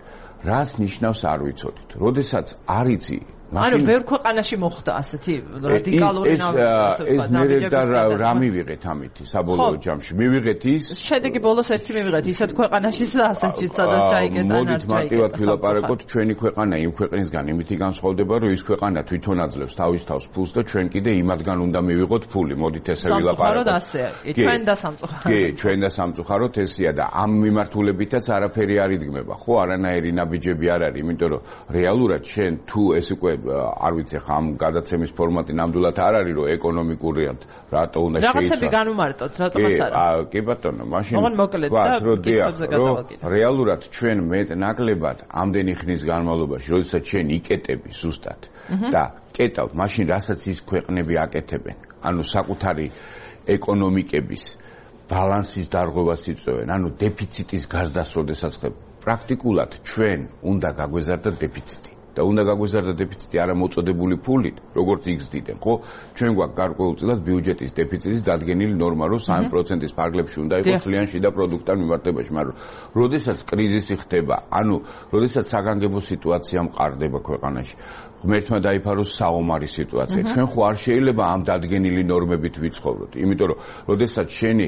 რას ნიშნავს არ ვიცოდით? როდესაც არ იცი ანუ ბევრ ქვეყანაში მოხდა ასეთი რადიკალური ნავიგაცია. ეს მერე და რა მივიღეთ ამითი საბოლოო ჯამში? მივიღეთ ის შედეგი ბოლოს ერთი მივიღეთ ისეთ ქვეყანაში ასეთში სადაც ჩაიგეთ ან არ ჩაიგეთ. მოდით მარტივად ვილაპარაკოთ, ჩვენი ქვეყანა იმ ქვეყნისგან იმითი განსხვავდება, რომ ის ქვეყანა თვითონ აძლევს თავის თავს ფულს და ჩვენ კიდე იმათგან უნდა მივიღოთ ფული. მოდით ესე ვილაპარაკოთ. სამწუხაროდ ასე. ჩვენ და სამწუხაროდ. კი, ჩვენ და სამწუხაროდ ესეა და ამ მიმართულებითაც არაფერი არ იდგმება. ხო, არანაირი ნაბიჯები არ არის, იმიტომ რომ რეალურად შენ თუ ეს უკვე არ ვიცი ხა ამ გადაცემის ფორმატი ნამდვილად არ არის რომ ეკონომიკურად რატო უნდა შეიცვალოს. რაღაცები განუმარტოთ, რატომაც არა. კი, კი ბატონო, მაშინ ოღონდ მოკლედ და კითხვებზე გადავაკეთებ. რეალურად ჩვენ მეტ-ნაკლებად ამდენი ხნის განმავლობაში, როდესაც შენ იკეტები ზუსტად და კეტავ, მაშინ რასაც ის ქვეყნები აკეთებენ, ანუ საკუთარი ეკონომიკების ბალანსის დარღვევას იწვევენ, ანუ დეფიციტის გაზდას როდესაც ხდება. პრაქტიკულად ჩვენ უნდა გაგვეზარდოთ დეფიციტი. და უნდა გაგვეზარდოთ დეფიციტი არა მოწოდებული ფულით, როგორც იგზდიდან, ხო? ჩვენ გვაქვს გარკვეულწილად ბიუჯეტის დეფიციტის დადგენილი ნორმა, რომ სამი პროცენტის ფარგლებში უნდა იყოს თლიანი შიდა პროდუქტთან მიმართებაში, მაგრამ როდესაც კრიზისი ხდება, ანუ როდესაც საგანგებო სიტუაცია მყარდება ქვეყანაში, ღმერთმა დაიფაროს საომარი სიტუაცია. ჩვენ ხო არ შეიძლება ამ დადგენილი ნორმებით ვიცხოვროთ, იმიტომ რომ როდესაც შენი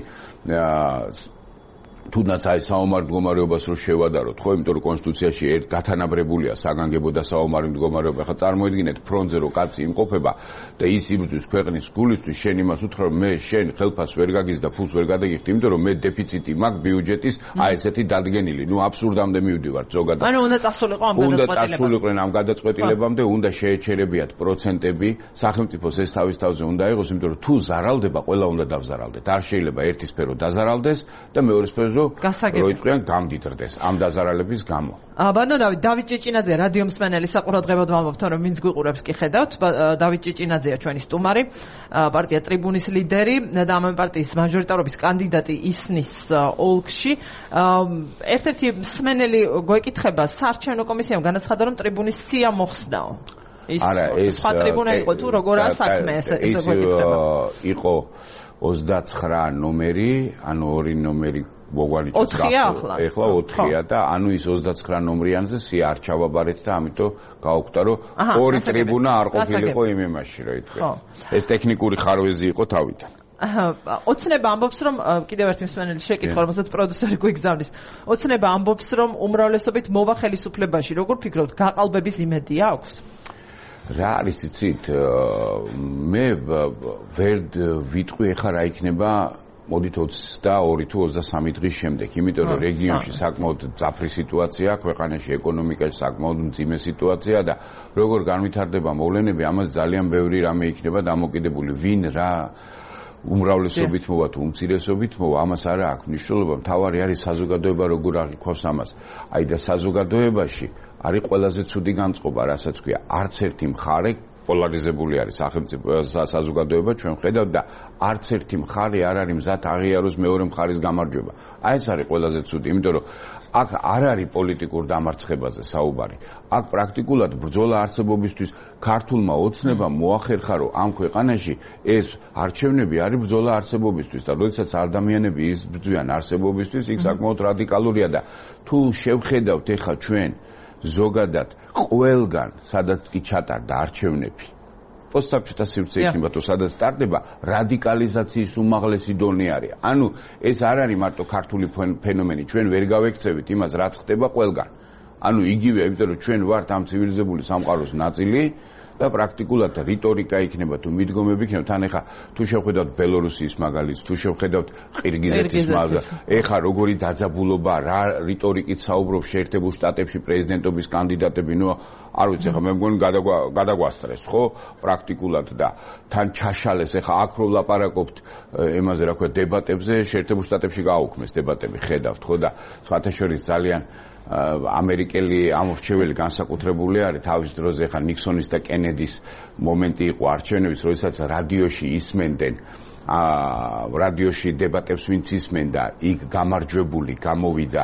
თუნდაც აი საომარ მდგომარეობას რო შევადაროთ, ხო, იმიტომ რომ კონსტიტუციაში ერთ გათანაბრებულია საგანგებო და საომარი მდგომარეობა. ხა წარმოიდგინეთ ფრონტზე რო კაცი იმყოფება და ის იბრძვის ქვეყნის გულისთვის, შენ იმას უთხრა რომ მე შენ ხელფას ვერ გაგის და ფულს ვერ გადაგიხდი, იმიტომ რომ მე დეფიციტი მაქვს ბიუჯეტის, აი ესეთი დადგენილი. ნუ აბსურდამდე მივდივართ ზოგადად. ანუ უნდა წასულიყო ამ გადაწყვეტილებამდე. უნდა წასულიყვნენ ამ გადაწყვეტილებამდე, უნდა შეეჩერებიათ პროცენტები, სახელმწიფოს ეს თავის თავზე უნდა იყოს, იმიტომ რომ თუ ზარალდება, ყველა უნდა დავზარალდეთ. არ შეიძლება ერთი სფერო დაზარალდეს და მეორე სფერო როიტყვიან გამდიდრდეს ამ დაზარალების გამო. ბატონო დავით, დავით ჭიჭინაძე, რადიო მსმენელი საყურადღებოდ ვამბობთ, რომ ვინც გვიყურებს კი ხედავთ, დავით ჭიჭინაძეა ჩვენი სტუმარი, პარტია ტრიბუნის ლიდერი და ამ პარტიის მაჟორიტარობის კანდიდატი ისნის ოლქში. ერთ-ერთი მსმენელი გვეკითხება, საარჩევნო კომისიამ განაცხადა, რომ ტრიბუნის სია მოხსნაო. არა, ეს სხვა ტრიბუნა იყო თუ როგორაა საქმე ეს ეს გვეკითხება. იყო ოცდაცხრა ნომერი, ანუ ორი ნომერი მოგვანიჭეს ოთხია ახლა. ეხლა ოთხია და ანუ ის ოცდაცხრა ნომრიანზე სია არ ჩავაბარეთ და ამიტომ გაუკვდა რომ ორი ტრიბუნა არ ყოფილიყო იმ იმაში, რა ითქვა. ეს ტექნიკური ხარვეზი იყო თავიდან. ოცნება ამბობს რომ კიდევ ერთი მსმენელი შეკითხვა, რომელსაც პროდიუსერი გვიგზავნის. ოცნება ამბობს რომ უმრავლესობით მოვა ხელისუფლებაში. როგორ ფიქრობთ, გაყალბების იმედი აქვს? რა არის იცით, მე ვერ ვიტყვი ახლა რა იქნება მოდით ოცდაორი თუ ოცდასამი დღის შემდეგ, იმიტომ რომ რეგიონში საკმაოდ ძაფრი სიტუაცია, ქვეყანაში ეკონომიკაში საკმაოდ მძიმე სიტუაცია და როგორ განვითარდება მოვლენები, ამას ძალიან ბევრი რამე იქნება დამოკიდებული, ვინ რა უმრავლესობით მოვა თუ უმცირესობით მოვა, ამას არა აქვს მნიშვნელობა, მთავარი არის საზოგადოება როგორ აღიქვავს ამას. აი და საზოგადოებაში არის ყველაზე ცუდი განწყობა, რასაც ქვია, არც ერთი მხარე პოლარიზებული არის სახელმწიფო საზოგადოება, ჩვენ ხედავთ და არც ერთი მხარე არ არის მზად აღიაროს მეორე მხარის გამარჯვება. აი ეს არის ყველაზე ცუდი, იმიტომ რომ აქ არ არის პოლიტიკურ დამარცხებაზე საუბარი. აქ პრაქტიკულად ბრძოლა არსებობისთვის ქართულმა ოცნებამ მოახერხა, რომ ამ ქვეყანაში ეს არჩევნები არის ბრძოლა არსებობისთვის და როდესაც ადამიანები იბრძვიან არსებობისთვის, იქ საკმაოდ რადიკალურია და თუ შევხედავთ ეხლა ჩვენ ზოგადად ყველგან სადაც კი ჩატარდა არჩევნები პოსტსაბჭოთა სივრცე იქნება თუ სადაც სტარტდება რადიკალიზაციის უმაღლესი დონე არის. ანუ ეს არ არის მარტო ქართული ფენომენი, ჩვენ ვერ გავექცევით იმას რაც ხდება ყველგან. ანუ იგივე, იმიტომ რომ ჩვენ ვართ ამ ცივილიზებული სამყაროს ნაწილი და პრაქტიკულად რიტორიკა იქნება თუ მიდგომები იქნება, თან ეხა თუ შევხედავთ ბელორუსიის მაგალითს, თუ შევხედავთ ყირგიზეთის მაგალითს, ეხა როგორი დაძაბულობა, რა რიტორიკით საუბრობს შეერთებულ შტატებში პრეზიდენტობის კანდიდატები, ნუ არ ვიცი, ეხა მე მგონი გადაგვასწრეს, ხო, პრაქტიკულად და თან ჩაშალეს, ეხა აქ რო ვლაპარაკობთ ემაზე, რა ქვია, დებატებზე, შეერთებულ შტატებში გააუქმეს დებატები, ხედავთ, ხო და სხვათა შორის ძალიან ამერიკელი ამორჩეველი განსაკუთრებული არის თავის დროზე ხა ნიქსონის და კენედის მომენტი იყო არჩევნების, როდესაც რადიოში ისმენდნენ აა რადიოში დებატებს ვინც ისმენდა, იქ გამარჯვებული გამოვიდა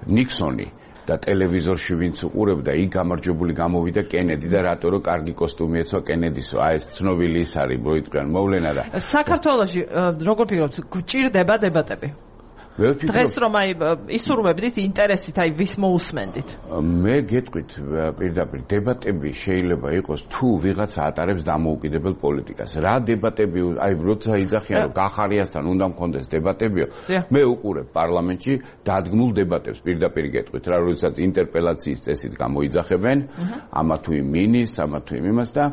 ნიქსონი და ტელევიზორში ვინც უყურებდა, იქ გამარჯვებული გამოვიდა კენედი და რატო რომ კარგი კოსტუმი ეცვა კენედისო, აი ეს ცნობილი ის არის მოიტყვიან მოვლენა და საქართველოში როგორ ფიქრობთ, გჭირდება დებატები? დღეს რომ აი ისურვებდით ინტერესით აი ვის მოусმენდით? მე გეტყვით პირდაპირ დებატები შეიძლება იყოს თუ ვიღაცა ატარებს დამოუკიდებელ პოლიტიკას. რა დებატები აი როცა იძახიან რომ გახარიასთან უნდა მქონდეს დებატებიო, მე უყურებ პარლამენტში დადგმულ დებატებს პირდაპირ გეტყვით რა, როდესაც ინტერპელაციის წესით გამოიძახებენ ამა თუ იმ მინისტრს, ამა თუ იმ იმას და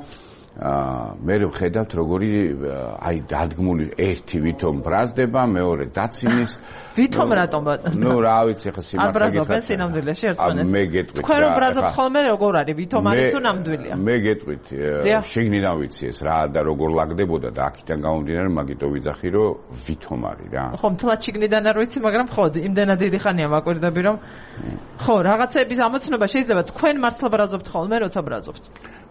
მე ვხედავთ როგორი აი დადგმული ერთი ვითომ ბრაზდება, მეორე დაცინის ვითომ რატომ ნუ რა ვიცი ხა სიმართლე არ ბრაზობენ სინამდვილეში ერთმანეთს. მე გეტყვით თქვენ რომ ბრაზობთ ხოლმე როგორ არის ვითომ არის თუ ნამდვილია? მე გეტყვით შეგნიდან ვიცი ეს რა და როგორ ლაგდებოდა და აქედან გამომდინარე მაგიტო ვიძახი რომ ვითომ არის რა. ხო მთლად შეგნიდან არ ვიცი, მაგრამ ხო იმდენად დიდი ხანია მაკვირდები რომ ხო რაღაცების ამოცნობა შეიძლება თქვენ მართლა ბრაზობთ ხოლმე როცა ბრაზობთ.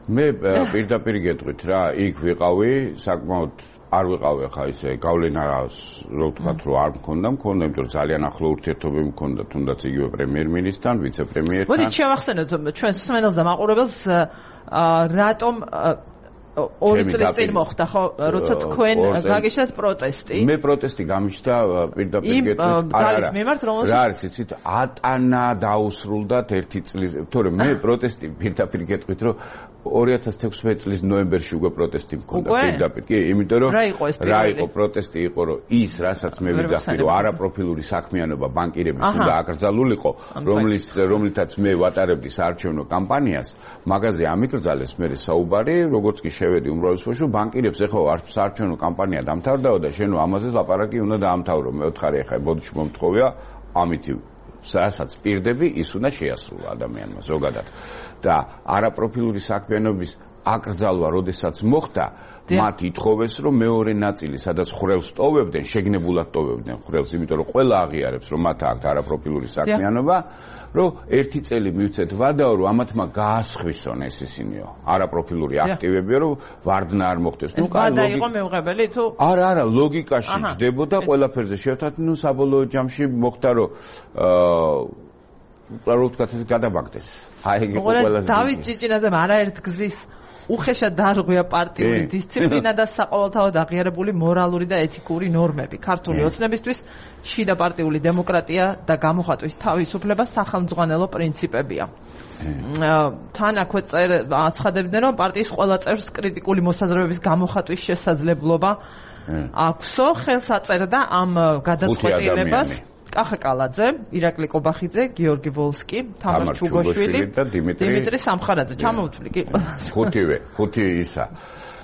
მე პირდაპირ გეტყვით რა, იქ ვიყავი, საკმაოდ არ ვიყავი ხა ისე გავლენა რო ვთქვათ რომ არ მქონდა, მქონდა, იმიტომ რომ ძალიან ახლო ურთიერთობები მქონდა თუნდაც იგივე პრემიერ-მინისტრთან, ვიცე-პრემიერთან. მოდით შევახსენოთ ჩვენ მსმენელს და მაყურებელს რატომ ორი წლის წინ მოხდა ხო, როცა თქვენ გაგიშლათ პროტესტი? მე პროტესტი გამიშთა პირდაპირ გეტყვით. ძალის მიმართ რომელსაც რა არის იცით, ატანა დაუსრულდათ ერთი წლის, თორე მე პროტესტი პირდაპირ გეტყვით რომ ორი ათას თექვსმეტი წლის ნოემბერში უკვე პროტესტი მქონდა პირდაპირ. კი, იმიტომ რომ რა იყო ეს რა იყო პროტესტი იყო რომ ის რასაც მე ვიძახი რომ არაპროფილური საქმიანობა ბანკირების უნდა აკრძალულიყო, რომლის რომლითაც მე ვატარებდი საარჩევნო კამპანიას, მაგაზე ამიკრძალეს მე საუბარი, როგორც კი შევედი უმრავლესობაში ბანკირებს ეხლა საარჩევნო კამპანია დამთავრდაო და შენ ამაზე ლაპარაკი უნდა დაამთავრო. მე ვთხარი ეხლა ბოდიში მომთხოვია ამითი რასაც პირდები ის უნდა შეასრულო ადამიანმა ზოგადად. და არაპროფილური საქმიანობის აკრძალვა როდესაც მოხდა, მათ ითხოვეს რომ მეორე ნაწილი სადაც ხვრელს ტოვებდნენ, შეგნებულად ტოვებდნენ ხვრელს, იმიტომ რომ ყველა აღიარებს რომ მათ აქვს არაპროფილური საქმიანობა, რომ ერთი წელი მივცეთ ვადაო რომ ამათმა გაასხვისონ ეს ისინიო არაპროფილური აქტივებიო რომ ვარდნა არ მოხდეს. ნუ კაი იყო მეუღებელი თუ არა არა ლოგიკაში ჯდებოდა ყველაფერზე შევთათ, ნუ საბოლოო ჯამში მოხდა რომ აა რო ვთქვათ ეს გადაბაგდეს. აი იგი ყველაზე დავით ჭიჭინაძემ არაერთ გზის უხეშად დაარღვია პარტიული დისციპლინა და საყოველთაოდ აღიარებული მორალური და ეთიკური ნორმები. ქართული ოცნებისთვის შიდა პარტიული დემოკრატია და გამოხატვის თავისუფლება სახელმძღვანელო პრინციპებია. თან აქვე აცხადებდნენ, რომ პარტიის ყველა წევრს კრიტიკული მოსაზრებების გამოხატვის შესაძლებლობა აქვსო, ხელს აწერდა ამ გადაწყვეტილებას კახა კალაძე, ირაკლი კობახიძე, გიორგი ვოლსკი, თამარ ჩუგოშვილი და დიმიტრი სამხარაძე. ჩამოვთვლი კი ყველას. ხუთივე, ხუთი ისა.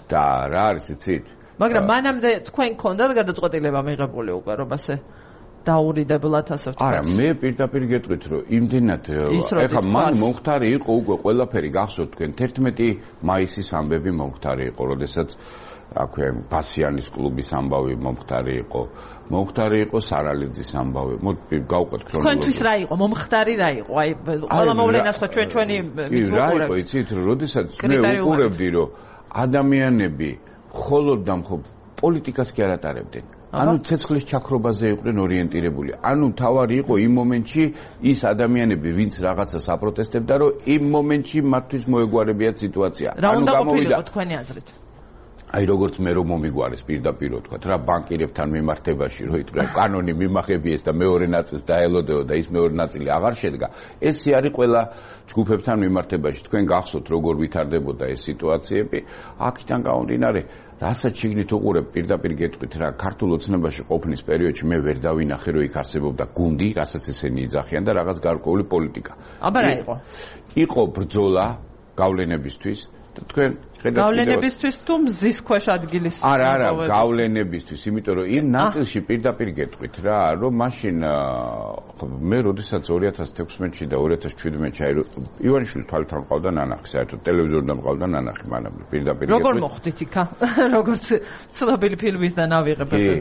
და რა არის იცით? მაგრამ მანამდე თქვენ გქონდათ გადაწყვეტილება მიღებული უკვე რომ ასე დაურიდებლად ასე ვთქვათ. არა, მე პირდაპირ გეტყვით რომ იმდენად ეხლა მან მომხდარი იყო უკვე ყველაფერი გახსოვთ თქვენ თერთმეტი მაისის ამბები მომხდარი იყო, როდესაც აქვე ბასიანის კლუბის ამბავი მომხდარი იყო. მომხდარი იყო სარალიძის ამბავი. მოდი გავყვეთ ქრონოლოგია. თქვენთვის რა იყო? მომხდარი რა იყო? აი ყველა მოვლენას ხო ჩვენ ჩვენი მითხრობთ. რა იყო იცით, როდესაც მე უყურებდი რომ ადამიანები მხოლოდ და მხოლოდ პოლიტიკას კი არ ატარებდნენ. ანუ ცეცხლის ჩაქრობაზე იყვნენ ორიენტირებული. ანუ თავარი იყო იმ მომენტში ის ადამიანები, ვინც რაღაცას აპროტესტებდა, რომ იმ მომენტში მათთვის მოეგვარებიათ სიტუაცია. რა უნდა ყოფილიყო თქვენი აზრით? აი როგორც მე რომ მომიგვარეს პირდაპირ ვთქვათ რა ბანკირებთან მიმართებაში რო იტყვი კანონი მიმახებიეს და მეორე ნაწილს დაელოდეო და ის მეორე ნაწილი აღარ შედგა. ესე არის ყველა ჯგუფებთან მიმართებაში. თქვენ გახსოვთ როგორ ვითარდებოდა ეს სიტუაციები. აქედან გამომდინარე რასაც შეგნით უყურებ პირდაპირ გეტყვით რა ქართულ ოცნებაში ყოფნის პერიოდში მე ვერ დავინახე რომ იქ არსებობდა გუნდი, რასაც ესენი იძახიან და რაღაც გარკვეული პოლიტიკა. აბა რა იყო? იყო ბრძოლა გავლენებისთვის და თქვენ გავლენებისთვის თუ მზის ქვეშ ადგილის არა არა გავლენებისთვის, იმიტომ რომ იმ ნაწილში პირდაპირ გეტყვით რა, რომ მაშინ მე როდესაც ორი ათას თექვსმეტში და ორი ათას შვიდმეტში აი ივანიშვილის თვალთან მყავდა ნანახი, საერთოდ ტელევიზორიდან მყავდა ნანახი მანამდე პირდაპირ გეტყვით. როგორ მოხდით იქა? როგორც ცნობილი ფილმის და ნავიღებაზე.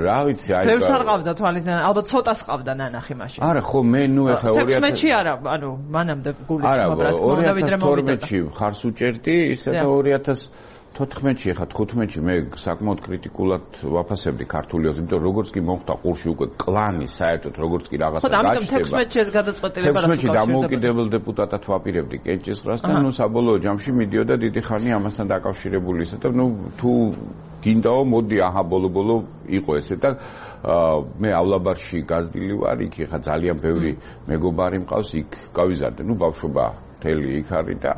რა ვიცი, აი ბევრს არ ყავდა თვალიდან, ალბათ ცოტას ყავდა ნანახი მაშინ. არა ხო მე ნუ ეხლა ორი ათას თექვსმეტში არა, ანუ მანამდე გულისხმობ რაც ორი ათას თორმეტში ხარს უჭერდი და ორი ათას თოთხმეტში ხა თხუთმეტში მე საკმაოდ კრიტიკულად ვაფასებდი ქართული ოცნებს, იმიტომ როგორც კი მომხდა ყურში უკვე კლანი საერთოდ როგორც კი რაღაცა გაჩნდება. ხო, ამიტომ თექვსმეტში ეს გადაწყვეტილება რა თექვსმეტში დამოუკიდებელ დეპუტატად ვაპირებდი კენჭისყრას და ნუ საბოლოო ჯამში მიდიოდა დიდი ხანი ამასთან დაკავშირებული ისე და ნუ თუ გინდაო მოდი აჰა ბოლო-ბოლო იყო ესე და მეავლაბარში გაზრდილი ვარ, იქ ხა ძალიან ბევრი მეგობარი მყავს, იქ გავიზარდე, ნუ ბავშვობა მთელი იქ არის და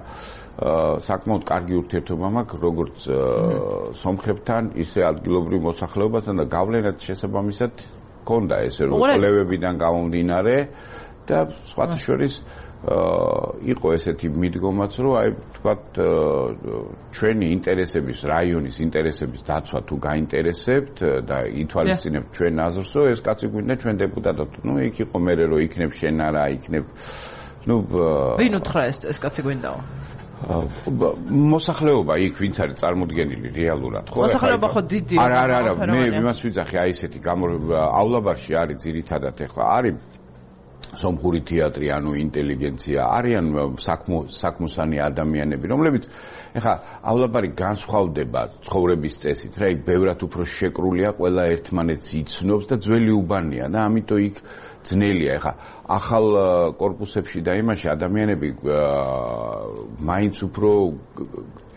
საკმაოდ კარგი ურთიერთობა მაქვს როგორც სომხებთან, ისე ადგილობრივ მოსახლეობასთან და გავლენაც შესაბამისად ქონდა ესე რომ კვლევებიდან გამომდინარე და სხვათა შორის იყო ესეთი მიდგომაც რომ აი თქვათ ჩვენი ინტერესების რაიონის ინტერესების დაცვა თუ გაინტერესებთ და ითვალისწინებთ ჩვენ აზრს რომ ეს კაცი გვინდა ჩვენ დეპუტატად ნუ იქ იყო მე რომ იქნებ შენ არა იქნებ ნუ ვინ უთხრა ეს ეს კაცი გვინდაო მოსახლეობა იქ ვინც არის წარმოდგენილი რეალურად ხო მოსახლეობა ხო დიდი არა არა არა მე იმას ვიძახი აი ესეთიავლაბარში არის ძირითადად ეხლა არის სომხური თეატრი ანუ ინტელიგენცია არიან საქმოსანი ადამიანები რომლებიც ეხლაავლაბარი განსხვავდება ცხოვრების წესით რა იქ ბევრად უფრო შეკრულია ყველა ერთმანეთს იცნობს და ძველი უბანია და ამიტომ იქ ძნელია ეხლა ახალ კორპუსებში და იმაში ადამიანები მაინც უფრო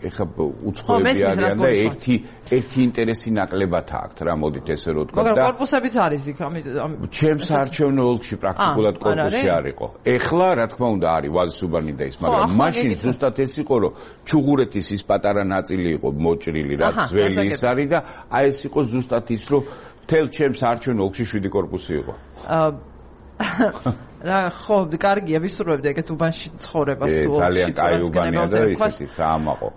ეხლა უცხოები არიან და ერთი ერთი ინტერესი ნაკლებად აქვთ რა მოდით ესე რომ თქვა და მაგრამ კორპუსებიც არის იქ ამიტომ ჩემს საარჩევნო ოლქში პრაქტიკულად კორპუსი არ იყო ეხლა რა თქმა უნდა არის ვაზის უბანი და ის მაგრამ მაშინ ზუსტად ეს იყო რომ ჩუღურეთის ის პატარა ნაწილი იყო მოჭრილი რა ძველი ის არის და აი ეს იყო ზუსტად ის რომ თელ ჩემს საარჩევნო ოლქში შვიდი კორპუსი იყო რა ხო კარგია ვისურვებდი ეგეთ უბანში ცხოვრებას თუ ძალიან კაი უბანია და ისეთი საამაყო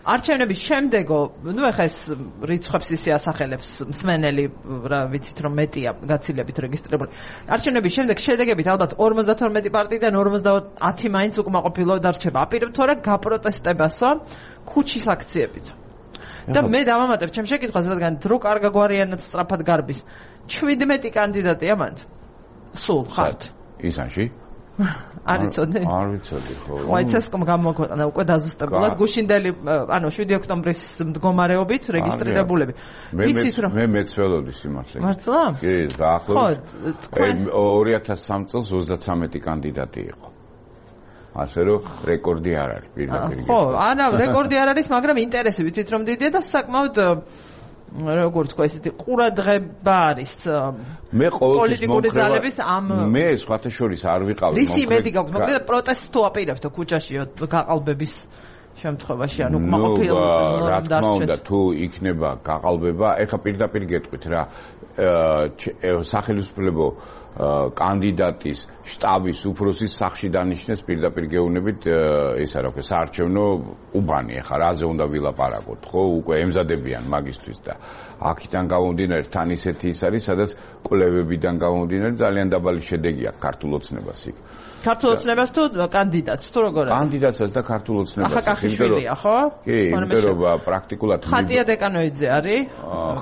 არჩევნების შემდეგო ნუ ეხა ეს რიცხვებს ისე ასახელებს მსმენელი რა ვიცით რომ მეტია გაცილებით რეგისტრირებული არჩევნების შემდეგ შედეგებით ალბათ ორმოცდათორმეტი პარტიიდან ორმოცდაათი მაინც უკმაყოფილო დარჩება აპირებ თუ არა გაპროტესტებასო ქუჩის აქციებით და მე დავამატებ ჩემ შეკითხვას რადგან დრო კარგაგვარიანად სწრაფად გარბის შვიდმეტი კანდიდატია მანდ სულ ხართ ისანში არ იცოდე არ ვიცოდი ხო ვაიცესკომ გამოგვეყნა უკვე დაზუსტებულად გუშინდელი ანუ შვიდი ოქტომბრის მდგომარეობით რეგისტრირებულები ვიცით რომ მე მეცველოდი სიმართლე მართლა კი დაახლოებით ხო ორი ათას სამი წელს ოცდათვრამეტი კანდიდატი იყო ასე რომ რეკორდი არ არის პირდაპირ ხო არა რეკორდი არ არის მაგრამ ინტერესი ვიცით რომ დიდია და საკმაოდ როგორც თქვა ესეთი ყურადღება არის მე ყოველთვის პოლიტიკური ძალების ამ მე სხვათა შორის არ ვიყავი რისი იმედი გაქვს მოკლედ პროტესტს თუ აპირებთ ქუჩაში გაყალბების შემთხვევაში ანუ უკმაყოფილო რა თქმა უნდა თუ იქნება გაყალბება ეხა პირდაპირ გეტყვით რა სახელმწიფო კანდიდატის შტაბის უფროსის სახში დანიშნეს პირდაპირ გეუბნებით ისა რა ქვია საარჩევნო უბანი ეხა რაზე უნდა ვილაპარაკოთ ხო უკვე ემზადებიან მაგისტრის და აქიდან გამომდინარე თან ისეთი ის არის სადაც კვლევებიდან გამომდინარე ძალიან დაბალი შედეგი აქვს ქართულ ოცნებას იქ ქართულ ოცნებას თუ კანდიდატს თუ როგორ არის კანდიდატსაც და ქართულ ოცნებას ახაკაშიშვილია ხო კი იმიტომ რომ პრაქტიკულად ხატია დეკანოიძე არის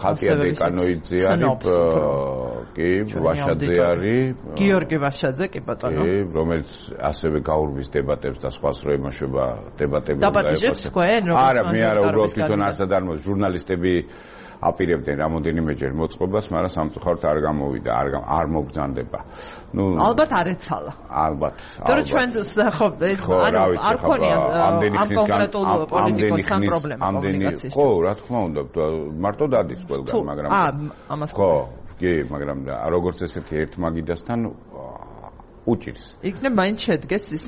ხატია დეკანოიძე არის კი ვაშაძე არის გიორგი ვაშაძე კი ბატონო კი რომელიც ასევე გაურბის დებატებს და სხვას რო ემაშება დებატები დაბატიჟებს თქვენ არა მე არა უბრალოდ თვითონ არსად არ მოძ ჟურნალისტები აპირებდნენ რამოდენიმეჯერ მოწყობას, მაგრამ სამწუხაროდ არ გამოვიდა, არ არ მოგზანდება. ნუ ალბათ არ ეცალა. ალბათ. თორე ჩვენ ხო, ანუ არ ქონია ამ კონკრეტულ პოლიტიკოს ამ პრობლემა კომუნიკაციის. ხო, რა თქმა უნდა, მარტო დადის ყველგან, მაგრამ აა, ამას ხო, კი, მაგრამ როგორც ესეთი ერთ მაგიდასთან უჭირს. იქნებ მაინც შედგეს ის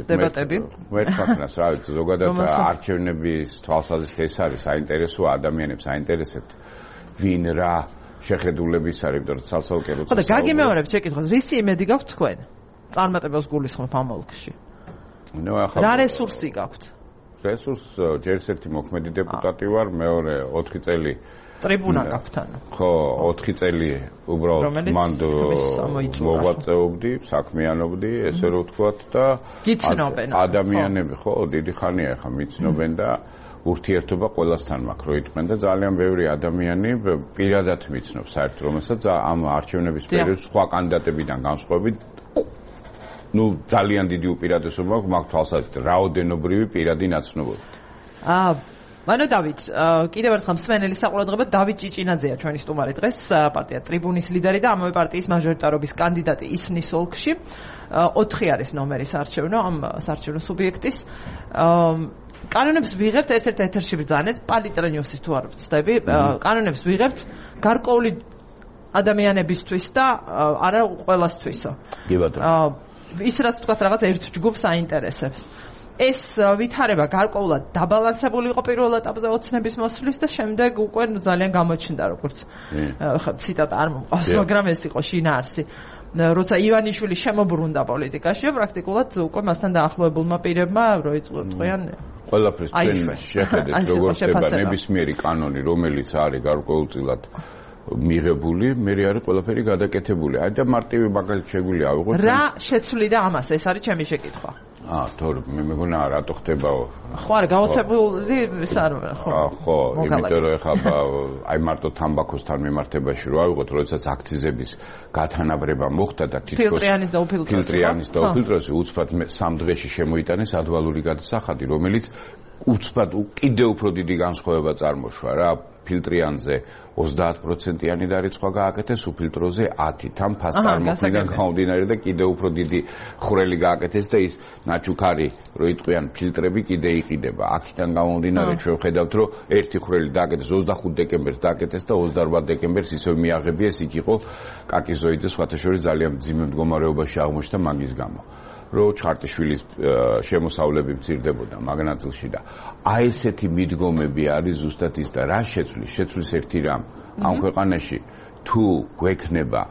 დებატები. ვერთხმას რა ვიცი, ზოგადად არჩევნების თვალსაზრისით ეს არის საინტერესო ადამიანებს აინტერესებთ ვინ რა შეხედულების არის, იმიტომ რომ სალსაუკერო ხო და გაგიმეორებ შეკითხვას, რისი იმედი გაქვთ თქვენ? წარმატებას გულისხმობ ამ ოლქში. ნუ ახლა რა რესურსი გაქვთ? რესურს ჯერ ერთი მოქმედი დეპუტატი ვარ, მეორე ოთხი წელი ტრიბუნა გაქვთ ანუ. ხო, ოთხი წელი უბრალოდ მანდ მოღვაწეობდი, საქმიანობდი, ესე რომ ვთქვათ და ადამიანები ხო, დიდი ხანია ახლა მიცნობენ და ურთიერთობა ყველასთან მაქვს, რო იტყვენ და ძალიან ბევრი ადამიანი პირადად მიცნობს საერთოდ, რომელსაც ამ არჩევნების პერიოდში სხვა კანდიდატებიდან განსხვავებით ნუ ძალიან დიდი უპირატესობა მაქვს თვალსაზრისით, რაოდენობრივი პირადი ნაცნობობა. აა მანო დავით, კიდევ ერთხელ მსმენელის საყურადღება დავით ჭიჭინაძეა ჩვენი სტუმარი დღეს, პარტია ტრიბუნის ლიდერი და ამავე პარტიის მაჟორიტარობის კანდიდატი ისნის ოლქში. ოთხი არის ნომერი საარჩევნო ამ საარჩევნო სუბიექტის. კანონებს ვიღებთ ერთ-ერთ ეთერში ბრძანეთ, პალიტრა ნიუსის თუ არ ვცდები, კანონებს ვიღებთ გარკვეული ადამიანებისთვის და არა ყველასთვისო. კი ბატონო. ის რაც თქვა რაღაც ერთ ჯგუფს აინტერესებს. ეს ვითარება გარკვეულად დაბალანსებული იყო პირველ ეტაპზე ოცნების მოსვლის და შემდეგ უკვე ძალიან გამოჩნდა როგორც ხა ციტატა არ მომყავს, მაგრამ ეს იყო შინაარსი. როცა ივანიშვილი შემოbrunდა პოლიტიკაში, პრაქტიკულად უკვე მასთან დაახლოებულმა პირებმა როიწყვიან ყველაფერს ჩვენ შეხედეთ როგორც ხდება ნებისმიერი კანონი, რომელიც არის გარკვეულწილად მიღებული, მე არის ყველაფერი გადაკეთებული. აი და მარტივი მაგალითი შეგვიძლია ავიღოთ. რა შეცვლიდა ამას? ეს არის ჩემი შეკითხვა. აა, თორე მე მეგონა რატო ხდებაო? ხო, არა, გაოცებული ის არ ხო. აა, ხო, იმიტომ რომ ეხლა აი მარტო თამბაქოსთან მიმართებაში რო ავიღოთ, როდესაც აქციზების გათანაბრება მოხდა და თითქოს ფილტრიანის და უფილტროსი ფილტრიანის და უფილტროსი უცბად სამ დღეში შემოიტანეს ადვალური გადასახადი, რომელიც უცბად კიდევ უფრო დიდი განსხვავება წარმოშვა რა. ფილტრიანზე ოცდაათ პროცენტიანი დარიცხვა გააკეთეს, უფილტროზე ათი. თან ფას წარმოქმნიდან გამომდინარე და კიდევ უფრო დიდი ხვრელი გააკეთეს და ის ნაჩუქარი რო იტყვიან ფილტრები კიდე იყიდება. აქედან გამომდინარე ჩვენ ხედავთ რომ ერთი ხვრელი დააკეთეს ოცდახუთ დეკემბერს დააკეთეს და ოცდაარბათ დეკემბერს ისევ მიაღებიეს, იქ იყო კაკიზოიძე სხვათა შორის ძალიან მძიმე მდგომარეობაში აღმოჩნდა მაგის გამო. რო ჩხარტიშვილის შემოსავლები მცირდებოდა მაგნატილში და აი ესეთი მიდგომები არის ზუსტად ის და რა შეცვლის შეცვლის ერთი რამ ამ ქვეყანაში თუ გვექნება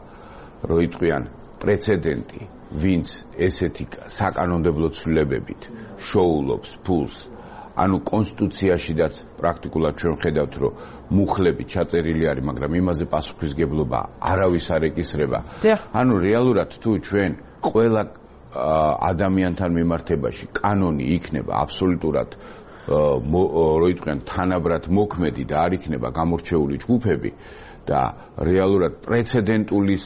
რო იტყვიან პრეცედენტი ვინც ესეთი საკანონმდებლო ცვლილებებით შოულობს ფულს ანუ კონსტიტუციაშიდაც პრაქტიკულად ჩვენ ხედავთ რომ მუხლები ჩაწერილი არის მაგრამ იმაზე პასუხისგებლობა არავის არ ეკისრება ანუ რეალურად თუ ჩვენ ყველა ადამიანთან მიმართებაში კანონი იქნება აბსოლუტურად რო იტყვიან თანაბრად მოქმედი და არ იქნება გამორჩეული ჯგუფები და რეალურად პრეცედენტული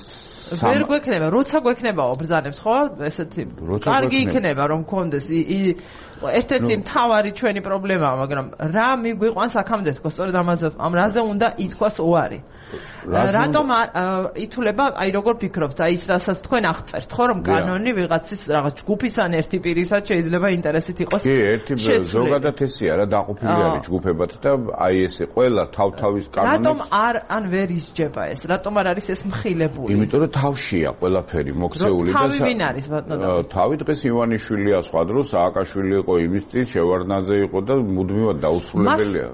ვერ გვექნება, როცა გვექნებაო ბრძანებს, ხო? ესეთი კარგი იქნება რომ მქონდეს ერთ-ერთი მთავარი ჩვენი პრობლემაა, მაგრამ რა მიგვიყვანს აქამდე თქო, სწორედ ამაზე ამ რაზე უნდა ითქვას უარი. რატომ ითვლება, აი როგორ ფიქრობთ, აი ის რასაც თქვენ აღწერთ, ხო, რომ კანონი ვიღაცის რაღაც ჯგუფის ან ერთი პირისაც შეიძლება ინტერესით იყოს. კი, ერთი ზოგადად ესეა რა დაყოფილი არის ჯგუფებად და აი ესე ყველა თავ-თავის კანონებს რატომ არ ან ვერ ისჯება ეს? რატომ არ არის ეს მხილებული? იმიტომ რომ თავშია ყველაფერი მოქცეული და თავი ვინ არის ბატონო? თავი დღეს ივანიშვილია, სხვა დროს სააკაშვილი იყო, იმის წინ შევარდნაძე იყო და მუდმივად დაუსრულებელია.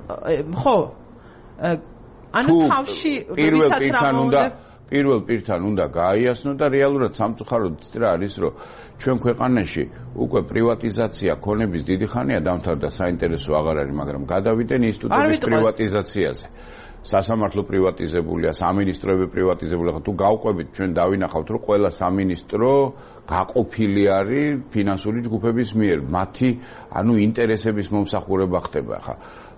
ხო. ანუ თავში პირველ პირთან უნდა პირველ პირთან უნდა გააიასნო და რეალურად სამწუხაროდ რა არის რომ ჩვენ ქვეყანაში უკვე პრივატიზაცია ქონების დიდი ხანია დამთავრდა, საინტერესო აღარ არის, მაგრამ გადავიდნენ ინსტიტუტების პრივატიზაციაზე. სასამართლო პრივატიზებულია, სამინისტროები პრივატიზებულია. თუ გავყვებით ჩვენ დავინახავთ რომ ყველა სამინისტრო გაყოფილი არის ფინანსური ჯგუფების მიერ, მათი ანუ ინტერესების მომსახურება ხდება ხა.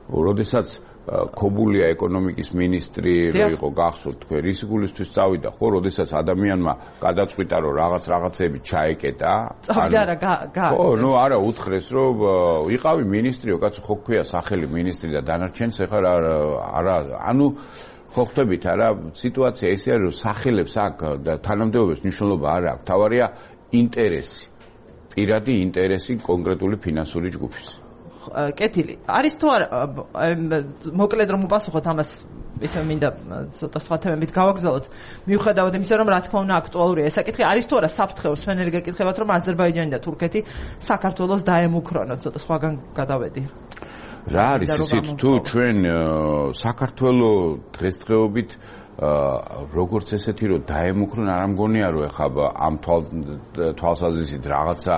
როდესაც ქობულია ეკონომიკის ministri რო იყო გახსოვთ თქვენ რის გულისთვის წავიდა ხო როდესაც ადამიანმა გადაწყვიტა რომ რაღაც რაღაცები ჩაეკეტა წავიდა რა გა ხო ნუ არა უთხრეს რომ იყავი ministriო კაცო ხო ქვია სახელი ministri და დანარჩენს ეხლა არა ანუ ხო ხვდებით არა სიტუაცია ესე არის რომ სახელებს აქ და თანამდებობებს მნიშვნელობა არ აქვს თავარია ინტერესი პირადი ინტერესი კონკრეტული ფინანსური ჯგუფის კეთილი არის თუ არა მოკლედ რომ უპასუხოთ ამას ისე მინდა ცოტა სხვა თემებით გავაგრძელოთ მიუხედავად იმისა რომ რა თქმა უნდა აქტუალურია ეს საკითხი არის თუ არა საფრთხეობს სვენელი გეკითხებათ რომ აზერბაიჯანი და თურქეთი საქართველოს დაემუქრონოთ ცოტა სხვაგან გადავედი რა არის ისიც თუ ჩვენ საქართველოს დღესდღეობით როგორც ესეთი რომ დაემუქრონ არ ამგონია რომ ეხლა ამ თვალსაზრისით რაღაცა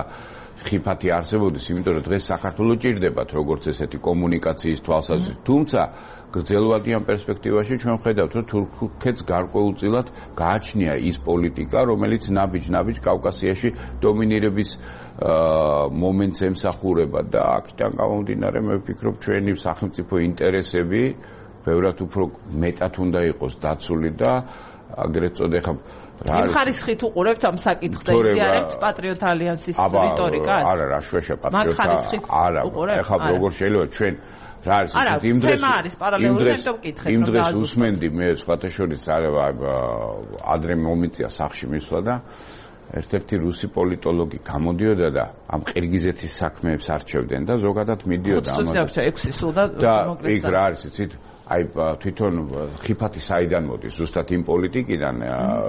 ხიფათი არსებობდეს, იმიტომ რომ დღეს საქართველოს ჭირდებათ როგორც ესეთი კომუნიკაციის თვალსაზრისით. თუმცა გრძელვადიან პერსპექტივაში ჩვენ ხედავთ, რომ თურქეთს გარკვეულწილად გააჩნია ის პოლიტიკა, რომელიც ნაბიჯ-ნაბიჯ კავკასიაში დომინირების მომენტს ემსახურება და აქედან გამომდინარე მე ვფიქრობ ჩვენი სახელმწიფო ინტერესები ბევრად უფრო მეტად უნდა იყოს დაცული და აგრეთ წოდე ხა იმ ხარისხით უყურებთ ამ საკითხს და იზიარებთ პატრიოტ ალიანსის რიტორიკას? არა, რა შვეშა პატრიოტა. არა, ეხლა როგორ შეიძლება ჩვენ რა არის ისეთი იმ დღეს იმ დღეს იმ დღეს უსმენდი მე სხვათა შორის ადრე მომიწია სახში მისვლა და ერთ-ერთი რუსი პოლიტოლოგი გამოდიოდა და ამ ყირგიზეთის საქმეებს არჩევდნენ და ზოგადად მიდიოდა ამაზე. ექვსი სულ და მოკლედ. და იქ რა არის იცით? აი თვითონ ხიფათი საიდან მოდის ზუსტად იმ პოლიტიკიდან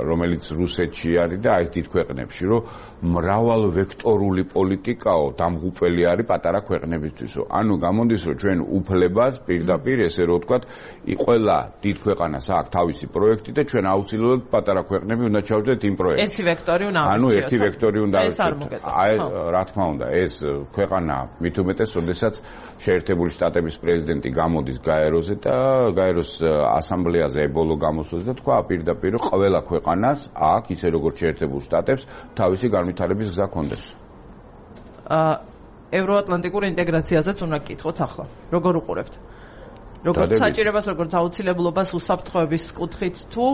რომელიც რუსეთში არის და აი ეს დიდ ქვეყნებში რომ მრავალ ვექტორული პოლიტიკაო დამღუპველი არის პატარა ქვეყნებისთვისო ანუ გამოდის რომ ჩვენ უფლებას პირდაპირ ესე რომ ვთქვათ ყველა დიდ ქვეყანას აქვს თავისი პროექტი და ჩვენ აუცილებლად პატარა ქვეყნები უნდა ჩავდეთ იმ პროექტში ერთი ვექტორი უნდა ანუ ერთი ვექტორი უნდა აი რა თქმა უნდა ეს ქვეყანა მით უმეტეს როდესაც შეერთებული შტატების პრეზიდენტი გამოდის გაეროზე და გაეროს ასამბლეაზე ებოლო გამოსვლას და თქვა პირდაპირ რომ ყველა ქვეყანას აქ ისე როგორც შეერთებულ შტატებს თავისი განვითარების გზა კონდეს. აა ევროატლანტიკურ ინტეგრაციაზეც უნდა გკითხოთ ახლა. როგორ უყურებთ? როგორც საჭიროებას, როგორც აუცილებლობას უსაფრთხოების კუთხით თუ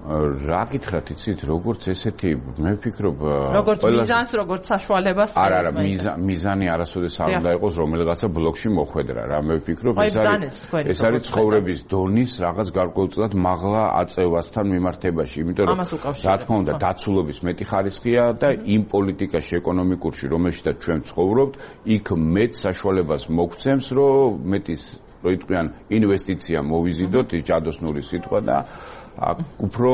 რა გითხრათ იცით როგორც ესეთი მე ვფიქრობ როგორც მიზანს როგორც საშუალებას არა არა მიზანი არასოდეს არ უნდა იყოს რომელიღაცა ბლოკში მოხვედრა რა მე ვფიქრობ ეს არის ეს არის ცხოვრების დონის რაღაც გარკვეულწილად მაღლა აწევასთან მიმართებაში იმიტომ რომ რა თქმა უნდა დაცულობის მეტი ხარისხია და იმ პოლიტიკაში ეკონომიკურში რომელშიც ჩვენ ვცხოვრობთ იქ მეტ საშუალებას მოგცემს რომ მეტის რო იტყვიან ინვესტიცია მოვიზიდოთ ის ჯადოსნური სიტყვა და უფრო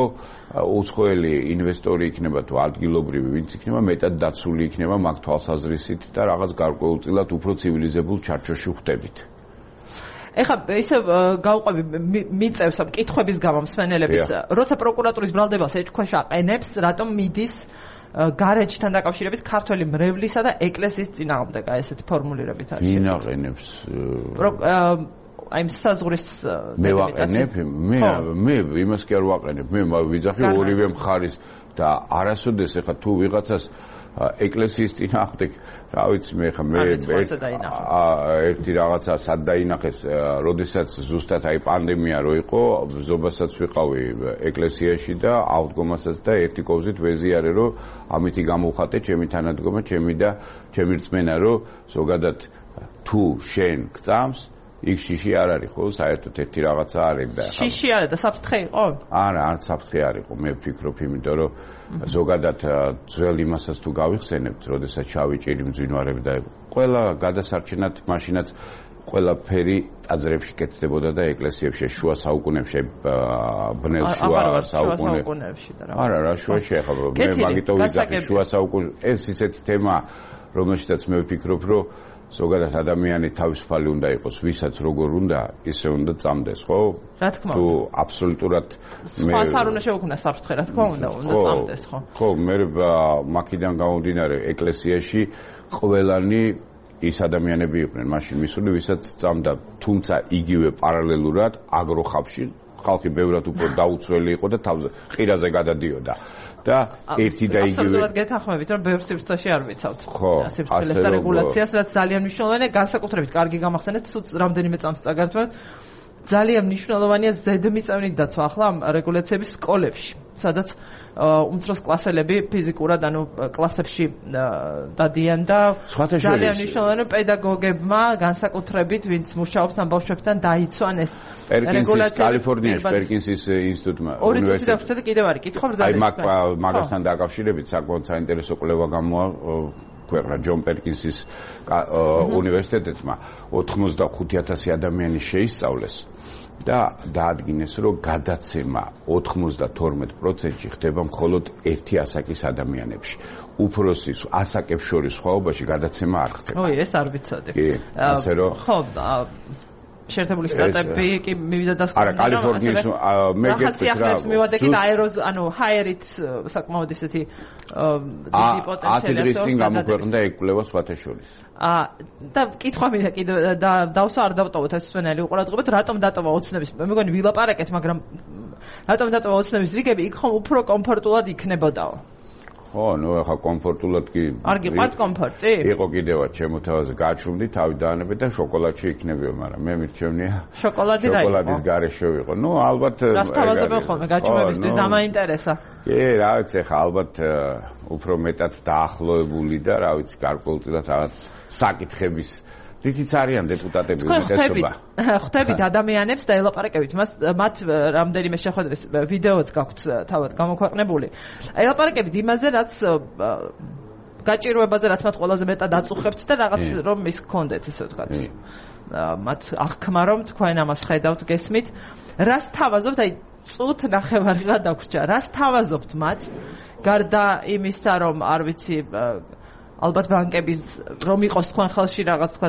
უცხოელი ინვესტორი იქნება თუ ადგილობრივი ვინც იქნება მეტად დაცული იქნება მაგ თვალსაზრისით და რაღაც გარკვეულწილად უფრო ცივილიზებულ ჩარჩოში ხვდებით. ეხლა ისე გავყვები მიწევს კითხვების გამო მსვენელების როცა პროკურატურის ბრალდებას ეჭქვეშ აყენებს რატომ მიდის გარეჯთან დაკავშირებით ქართველი მრევლისა და ეკლესიის წინააღმდეგ აი ესეთი ფორმულირებით არის. ვინ აყენებს აი საზღვრის მე ვაყენებ მე მე იმას კი არ ვაყენებ მე ვიძახი ორივე მხარის და არასოდეს ეხა თუ ვიღაცას ეკლესიის წინააღმდეგ რა ვიცი მე ხა მე ერთი რაღაცა სად დაინახეს როდესაც ზუსტად აი პანდემია რო იყო ზობასაც ვიყავი ეკლესიაში და აღდგომასაც და ერთი კოვზით ვეზიარე რომ ამითი გამოვხატე ჩემი თანადგომა ჩემი და ჩემი რწმენა რომ ზოგადად თუ შენ გწამს იქ შიში არ არის ხო საერთოდ ერთი რაღაცა არის და შიში არის და საფრთხე იყო? არა, არც საფრთხე არ იყო, მე ვფიქრობ, იმიტომ რომ ზოგადად ძველ იმასაც თუ გავიხსენებთ, როდესაც შავი ჭირი მძვინვარები და ყველა გადასარჩენად მაშინაც ყველაფერი ტაძრებში კეთდებოდა და ეკლესიებში შუა საუკუნეებში ბნელ შუა საუკუნეებში და რა. არა, რა შუაში ახლა მე მაგითო ვიძახი შუა საუკუნე ეს ისეთი თემა რომელშიც მე ვფიქრობ, რომ ზოგადად ადამიანი თავისუფალი უნდა იყოს, ვისაც როგორ უნდა, ისე უნდა წამდეს, ხო? რა თქმა უნდა. თუ აბსოლუტურად მე სხვა არ უნდა შეუქმნას საფრთხე, რა თქმა უნდა, უნდა წამდეს, ხო? ხო, მე მაქედან გამომდინარე ეკლესიაში ყველანი ის ადამიანები იყვნენ, მაშინ მისული, ვისაც წამდა, თუმცა იგივე პარალელურად აგროხავში ხალხი ბევრად უფრო დაუცველი იყო და თავზე ყირაზე გადადიოდა. და ერთი და იგივე აბსოლუტურად გეთანხმებით რომ ბევრ სივრცეში არ ვიცავთ სივრცელის და რეგულაციას რაც ძალიან მნიშვნელოვანია განსაკუთრებით კარგი გამახსენეთ თუ რამდენიმე წამს წაგართვა ძალიან მნიშვნელოვანია ზედმიწევნით დაცვა ახლა ამ რეგულაციების სკოლებში სადაც უმცროს კლასელები ფიზიკურად ანუ კლასებში დადიან და ძალიან მნიშვნელოვანია პედაგოგებმა განსაკუთრებით ვინც მუშაობს ამ ბავშვებთან დაიცვან ეს რეგულაცია კალიფორნიაში პერკინსის ინსტიტუტმა უნივერსიტეტში და კიდევ არის კითხვა ბრძანების აი მაგ მაგასთან დაკავშირებით საკმაოდ საინტერესო კვლევა გამოა ქვეყნა ჯონ პერკინსის უნივერსიტეტმა ოთხმოცდახუთი ათასი ადამიანი შეისწავლეს და დაადგინეს რომ გადაცემა ოთხმოცდათორმეტ პროცენტში ხდება მხოლოდ ერთი ასაკის ადამიანებში. უფროსის ასაკებს შორის სხვაობაში გადაცემა არ ხდება. ой, ეს არ ვიცოდი. კი, ასე რომ ხო, შეერთებული შტატები კი მივიდა და არა, კალიფორნიის მე გეტყვით რა. მივიდა კი აეროზ, ანუ ჰაერით საკმაოდ ისეთი დიდი პოტენციალი აქვს. ათი წინ გამოქვეყნდა ეკვლევა სხვათა შორის. აა და კითხვა მინდა კიდე და დავსვა არ დავტოვოთ ეს სვენელი უყურადღებოთ რატომ დატოვა ოცნების მე მგონი ვილაპარაკეთ მაგრამ რატომ დატოვა ოცნების რიგები იქ ხომ უფრო კომფორტულად იქნებოდაო ხო ნუ ახლა კომფორტულად კი არ გიყვართ კომფორტი იყო კიდევაც ჩემო თავაზე გაჩვმდი თავი დაანებე და შოკოლადში იქნებიო მაგრამ მე მირჩევნია შოკოლადი რა იყო შოკოლადის გარეშე ვიყო ნუ ალბათ რას თავაზობენ ხოლმე გაჩვმებისთვის დამაინტერესა კი რა ვიცი ახლა ალბათ უფრო მეტად დაახლოებული და რა ვიცი გარკვეულწილად რაღაც საკითხების თითიც არიან დეპუტატები უმეტესობა. ხვდებით ადამიანებს და ელაპარაკებით მას მათ რამდენიმე შეხვედრის ვიდეოც გაქვთ თავად გამოქვეყნებული. ელაპარაკებით იმაზე რაც გაჭირვებაზე რაც მათ ყველაზე მეტად აწუხებთ და რაღაც რომ ის გქონდეთ ისე ვთქვათ. მათ აღქმა რომ თქვენ ამას ხედავთ გესმით რას თავაზობთ აი წუთ ნახევარიღა დაგვრჩა რას თავაზობთ მათ გარდა იმისა რომ არ ვიცი ალბათ ბანკების რომ იყოს თქვენ ხელში რაღაც თქვა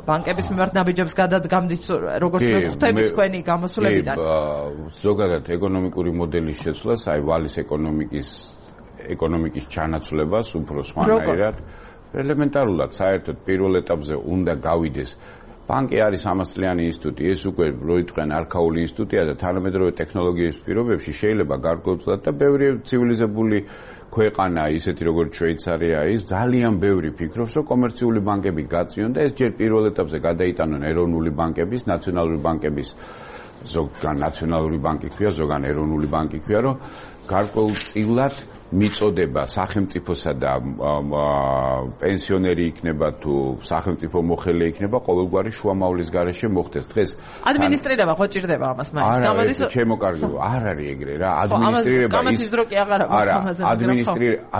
ბანკების მიმართ ნაბიჯებს გადადგამდით როგორც მე ხვდები თქვენი გამოსვლებიდან ზოგადად ეკონომიკური მოდელის შეცვლას აი ვალის ეკონომიკის ეკონომიკის ჩანაცვლებას უფრო სხვანაირად ელემენტარულად საერთოდ პირველ ეტაპზე უნდა გავიდეს ბანკი არის სამასწლიანი ინსტიტუტი ეს უკვე როიტყვენ არქაული ინსტიტუტია და თანამედროვე ტექნოლოგიების პირობებში შეიძლება გარკვეულწილად და ბევრი ცივილიზებული ქვეყანა ისეთი როგორც შვეიცარია ის ძალიან ბევრი ფიქრობს რომ კომერციული ბანკები გაწიონ და ეს ჯერ პირველ ეტაპზე გადაიტანონ ეროვნული ბანკების ნაციონალური ბანკების ზოგან ნაციონალური ბანკი ქვია ზოგან ეროვნული ბანკი ქვია რომ გარკვეულწილად მიწოდება სახელმწიფოსა და პენსიონერი იქნება თუ სახელმწიფო მოხელე იქნება ყოველგვარი შუამავლის გარეშე მოხდეს დღეს ადმინისტრირება ხო ჭირდება ამას მაინც გამოდის ჩემო კარგი არ არის ეგრე რა ადმინისტრირება ის დრო კი აღარ აქვს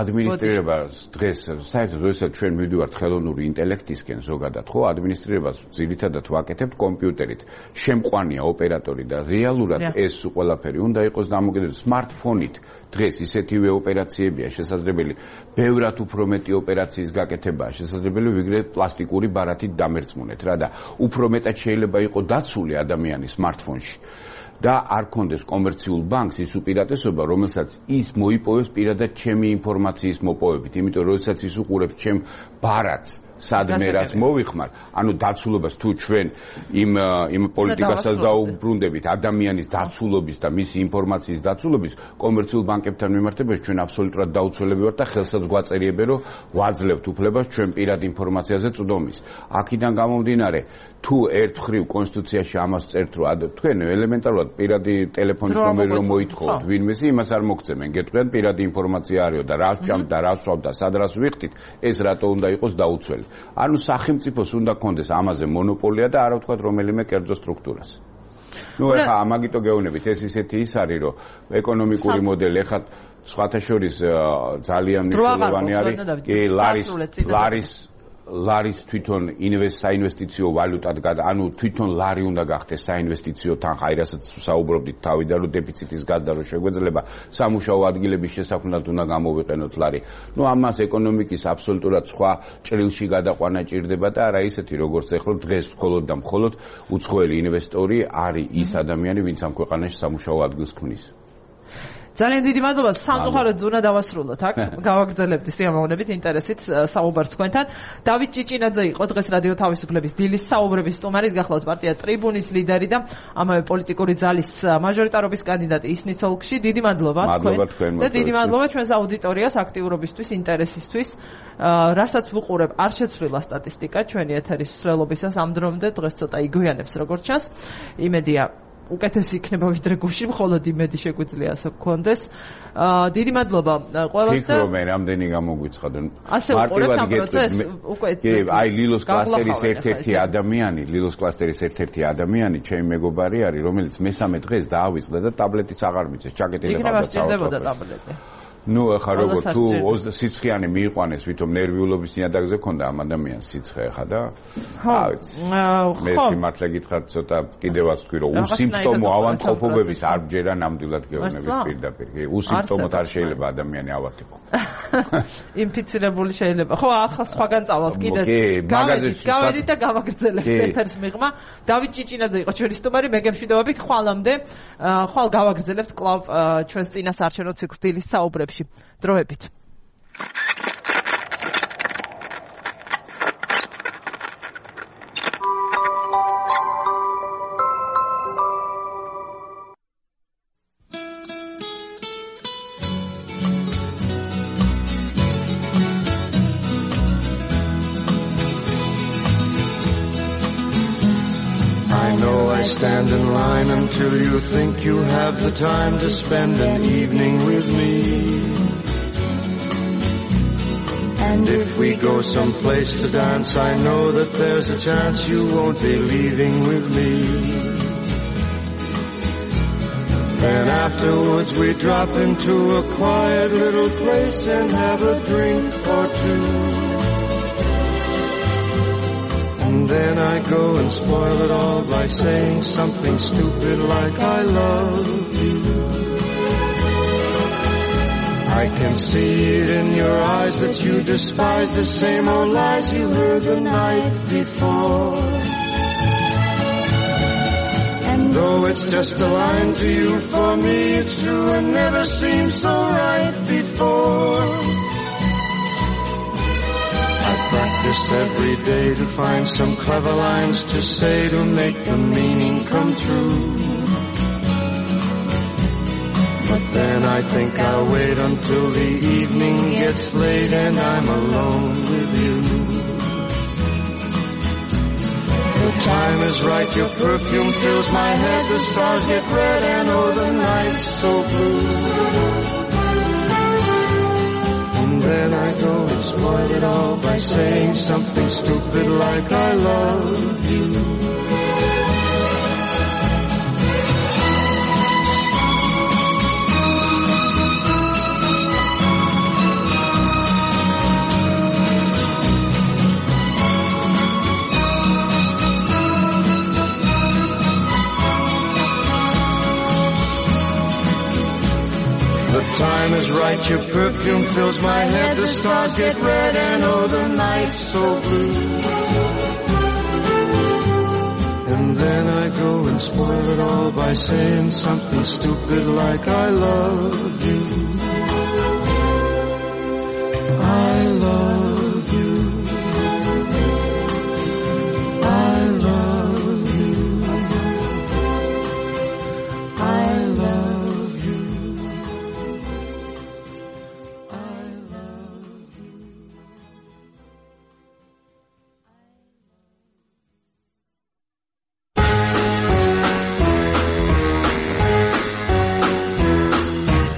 ადმინისტრირება დღეს საერთოდ როდესაც ჩვენ მივდივართ ხელოვნური ინტელექტისკენ ზოგადად ხო ადმინისტრირებას ძირითადად ვაკეთებთ კომპიუტერით შემყვანია ოპერატორი და რეალურად ეს ყველაფერი უნდა იყოს დამოკიდებული სმარტფონით დღეს ისეთივე ოპერაციებია შესაძლებელი ბევრად უფრო მეტი ოპერაციის გაკეთებაა შესაძლებელი ვიგრე პლასტიკური ბარათით დამერწმუნეთ რა და უფრო მეტად შეიძლება იყოს დაცული ადამიანის სმარტფონში და არ კონდეს კომერციულ ბანკს ის უპირატესობა რომელსაც ის მოიპოვებს პირადად ჩემი ინფორმაციის მოპოვებით იმიტომ რომ როდესაც ის უყურებს ჩემ ბარათს სადმე რას მოვიხმარ ანუ დაცულობას თუ ჩვენ იმ იმ პოლიტიკასაც დაუბრუნდებით ადამიანის დაცულობის და მისი ინფორმაციის დაცულობის კომერციულ ბანკებთან მიმართებაში ჩვენ აბსოლუტურად დაუცველები ვართ და ხელსაც გვაწერიებენ რომ ვაძლევთ უფლებას ჩვენ პირად ინფორმაციაზე წვდომის აქედან გამომდინარე თუ ერთხრივ კონსტიტუციაში ამას წერთ რომ თქვენ ელემენტარულად პირადი ტელეფონის ნომერი რომ მოითხოვთ ვინმეს იმას არ მოგწემენ გეტყვიან პირადი ინფორმაცია არისო და რას ჭამთ და რას ვსვამთ და სად რას ვიხდით ეს რატო უნდა იყოს დაუცველი ანუ სახელმწიფოს უნდა კონდეს ამაზე მონოპოლია და არა ვთქვათ რომელიმე კერძო სტრუქტურას. ნუ ეხა ამაგიტო გეუბნებით ეს ისეთი ის არის რომ ეკონომიკური მოდელი ეხა სხვათა შორის ძალიან მნიშვნელოვანი არის კი ლარის ლარის ლარის თვითონ საინვესტიციო ვალუტად ანუ თვითონ ლარი უნდა გახდეს საინვესტიციო თანხა აი რასაც საუბრობდით თავიდან რომ დეფიციტის გაზდა რომ შეგვეძლება სამუშაო ადგილების შესაქმნად უნდა გამოვიყენოთ ლარი. ნუ ამას ეკონომიკის აბსოლუტურად სხვა ჭრილში გადაყვანა ჭირდება და არა ისეთი როგორც ეხლა დღეს მხოლოდ და მხოლოდ უცხოელი ინვესტორი არის ის ადამიანი ვინც ამ ქვეყანაში სამუშაო ადგილს ქმნის. ძალიან დიდი მადლობა სამწუხაროდ ზონა დავასრულოთ აქ გავაგრძელებთ სიამოვნებით ინტერესით საუბარს თქვენთან დავით ჭიჭინაძე იყო დღეს რადიო თავისუფლების დილის საუბრების სტუმარი გახლავთ პარტია ტრიბუნის ლიდერი და ამავე პოლიტიკური ძალის მაჟორიტარობის კანდიდატი ისნის ოლქში დიდი მადლობა თქვენ და დიდი მადლობა ჩვენს აუდიტორიას აქტიურობისთვის ინტერესისთვის რასაც ვუყურებ არ შეცვლილა სტატისტიკა ჩვენი ეთერის მსვლელობისას ამ დრომდე დღეს ცოტა იგვიანებს როგორც ჩანს იმედია უკეთესი იქნება ვიდრე გუში, მხოლოდ იმედი შეგვიძლია ასე გქონდეს. დიდი მადლობა ყველას და ფიქრობ მე რამდენი გამოგვიცხადონ. ასე უყურებთ ამ პროცესს უკვე კი, აი ლილოს კლასტერის ერთ-ერთი ადამიანი, ლილოს კლასტერის ერთ-ერთი ადამიანი, ჩემი მეგობარი არის, რომელიც მესამე დღეს დაავიწყდა და ტაბლეტიც აღარ მიცეს, ჩაკეტილი ყავდა წავიდა ტაბლეტი. ნუ ახლა როგორ თუ სიცხიანი მიიყვანეს ვითომ ნერვიულობის ნიადაგზე ქონდა ამ ადამიანს სიცხე ახლა და მე მართლა გითხრათ ცოტა კიდევაც თქვი რომ უსიმპტომო ავადმყოფობების არ ბჯერა ნამდვილად გეუბნებით პირდაპირ კი უსიმპტომოდ არ შეიძლება ადამიანი ავადიყო ინფიცირებული შეიძლება ხო ახლა სხვაგან წავალთ კიდე გავედით და გავაგრძელებთ ეთერს მიღმა დავით ჭიჭინაძე იყო ჩვენი სტუმარი მე გემშვიდობებით ხვალამდე ხვალ გავაგრძელებთ კლავ ჩვენს წინასაარჩევნო ციკლს დილის საუბრებში დროებით Stand in line until you think you have the time to spend an evening with me. And if we go someplace to dance, I know that there's a chance you won't be leaving with me. Then afterwards we drop into a quiet little place and have a drink or two. And then I go and spoil it all by saying something stupid like I love you. I can see it in your eyes that you despise the same old lies you heard the night before. And though it's just a line to you, for me it's true and never seemed so right before. I practice every day to find some clever lines to say to make the meaning come true. But then I think I'll wait until the evening gets late and I'm alone with you. The time is right, your perfume fills my head, the stars get red and oh the night's so blue. And then I go and spoil it all by saying something stupid like I love you. The time is right, your perfume fills my head, the stars get red and oh the night's so blue. And then I go and spoil it all by saying something stupid like I love you. I love you. I love you. I love you.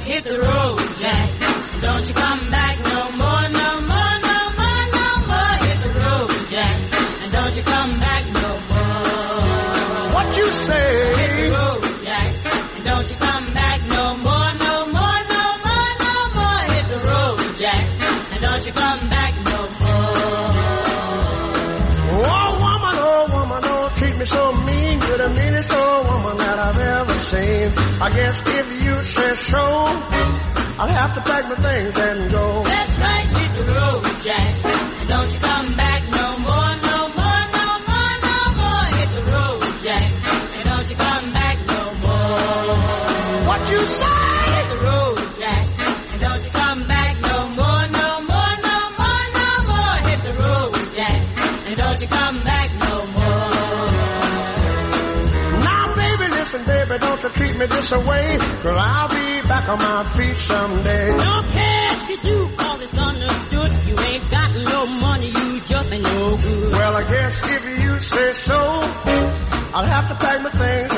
Hit the road, Jack. Don't you come back no more, no more, no more, no more. Hit the road, Jack. And don't you come back no more. What you say? Hit the road, Jack. And don't you come back no more, no more, no more, no more. Hit the road, Jack. And don't you come back no more. Oh woman, oh woman, don't treat me so mean. You're the meanest old woman that I've ever seen. I guess if you say so, I'll have to pack my things and go. That's right, hit the road, Jack. And don't you come back no more, no more, no more, no more. Hit the road, Jack. And don't you come back no more. What you say? Hit the road, Jack. And don't you come back no more, no more, no more, no more. Hit the road, Jack. And don't you come back no more. Now baby, listen baby, don't you treat me this way, 'cause I'll be back on my feet someday. Don't care if you do, cause it's understood. You ain't got no money, you just ain't no good. Well, I guess if you say so, I'll have to pack my things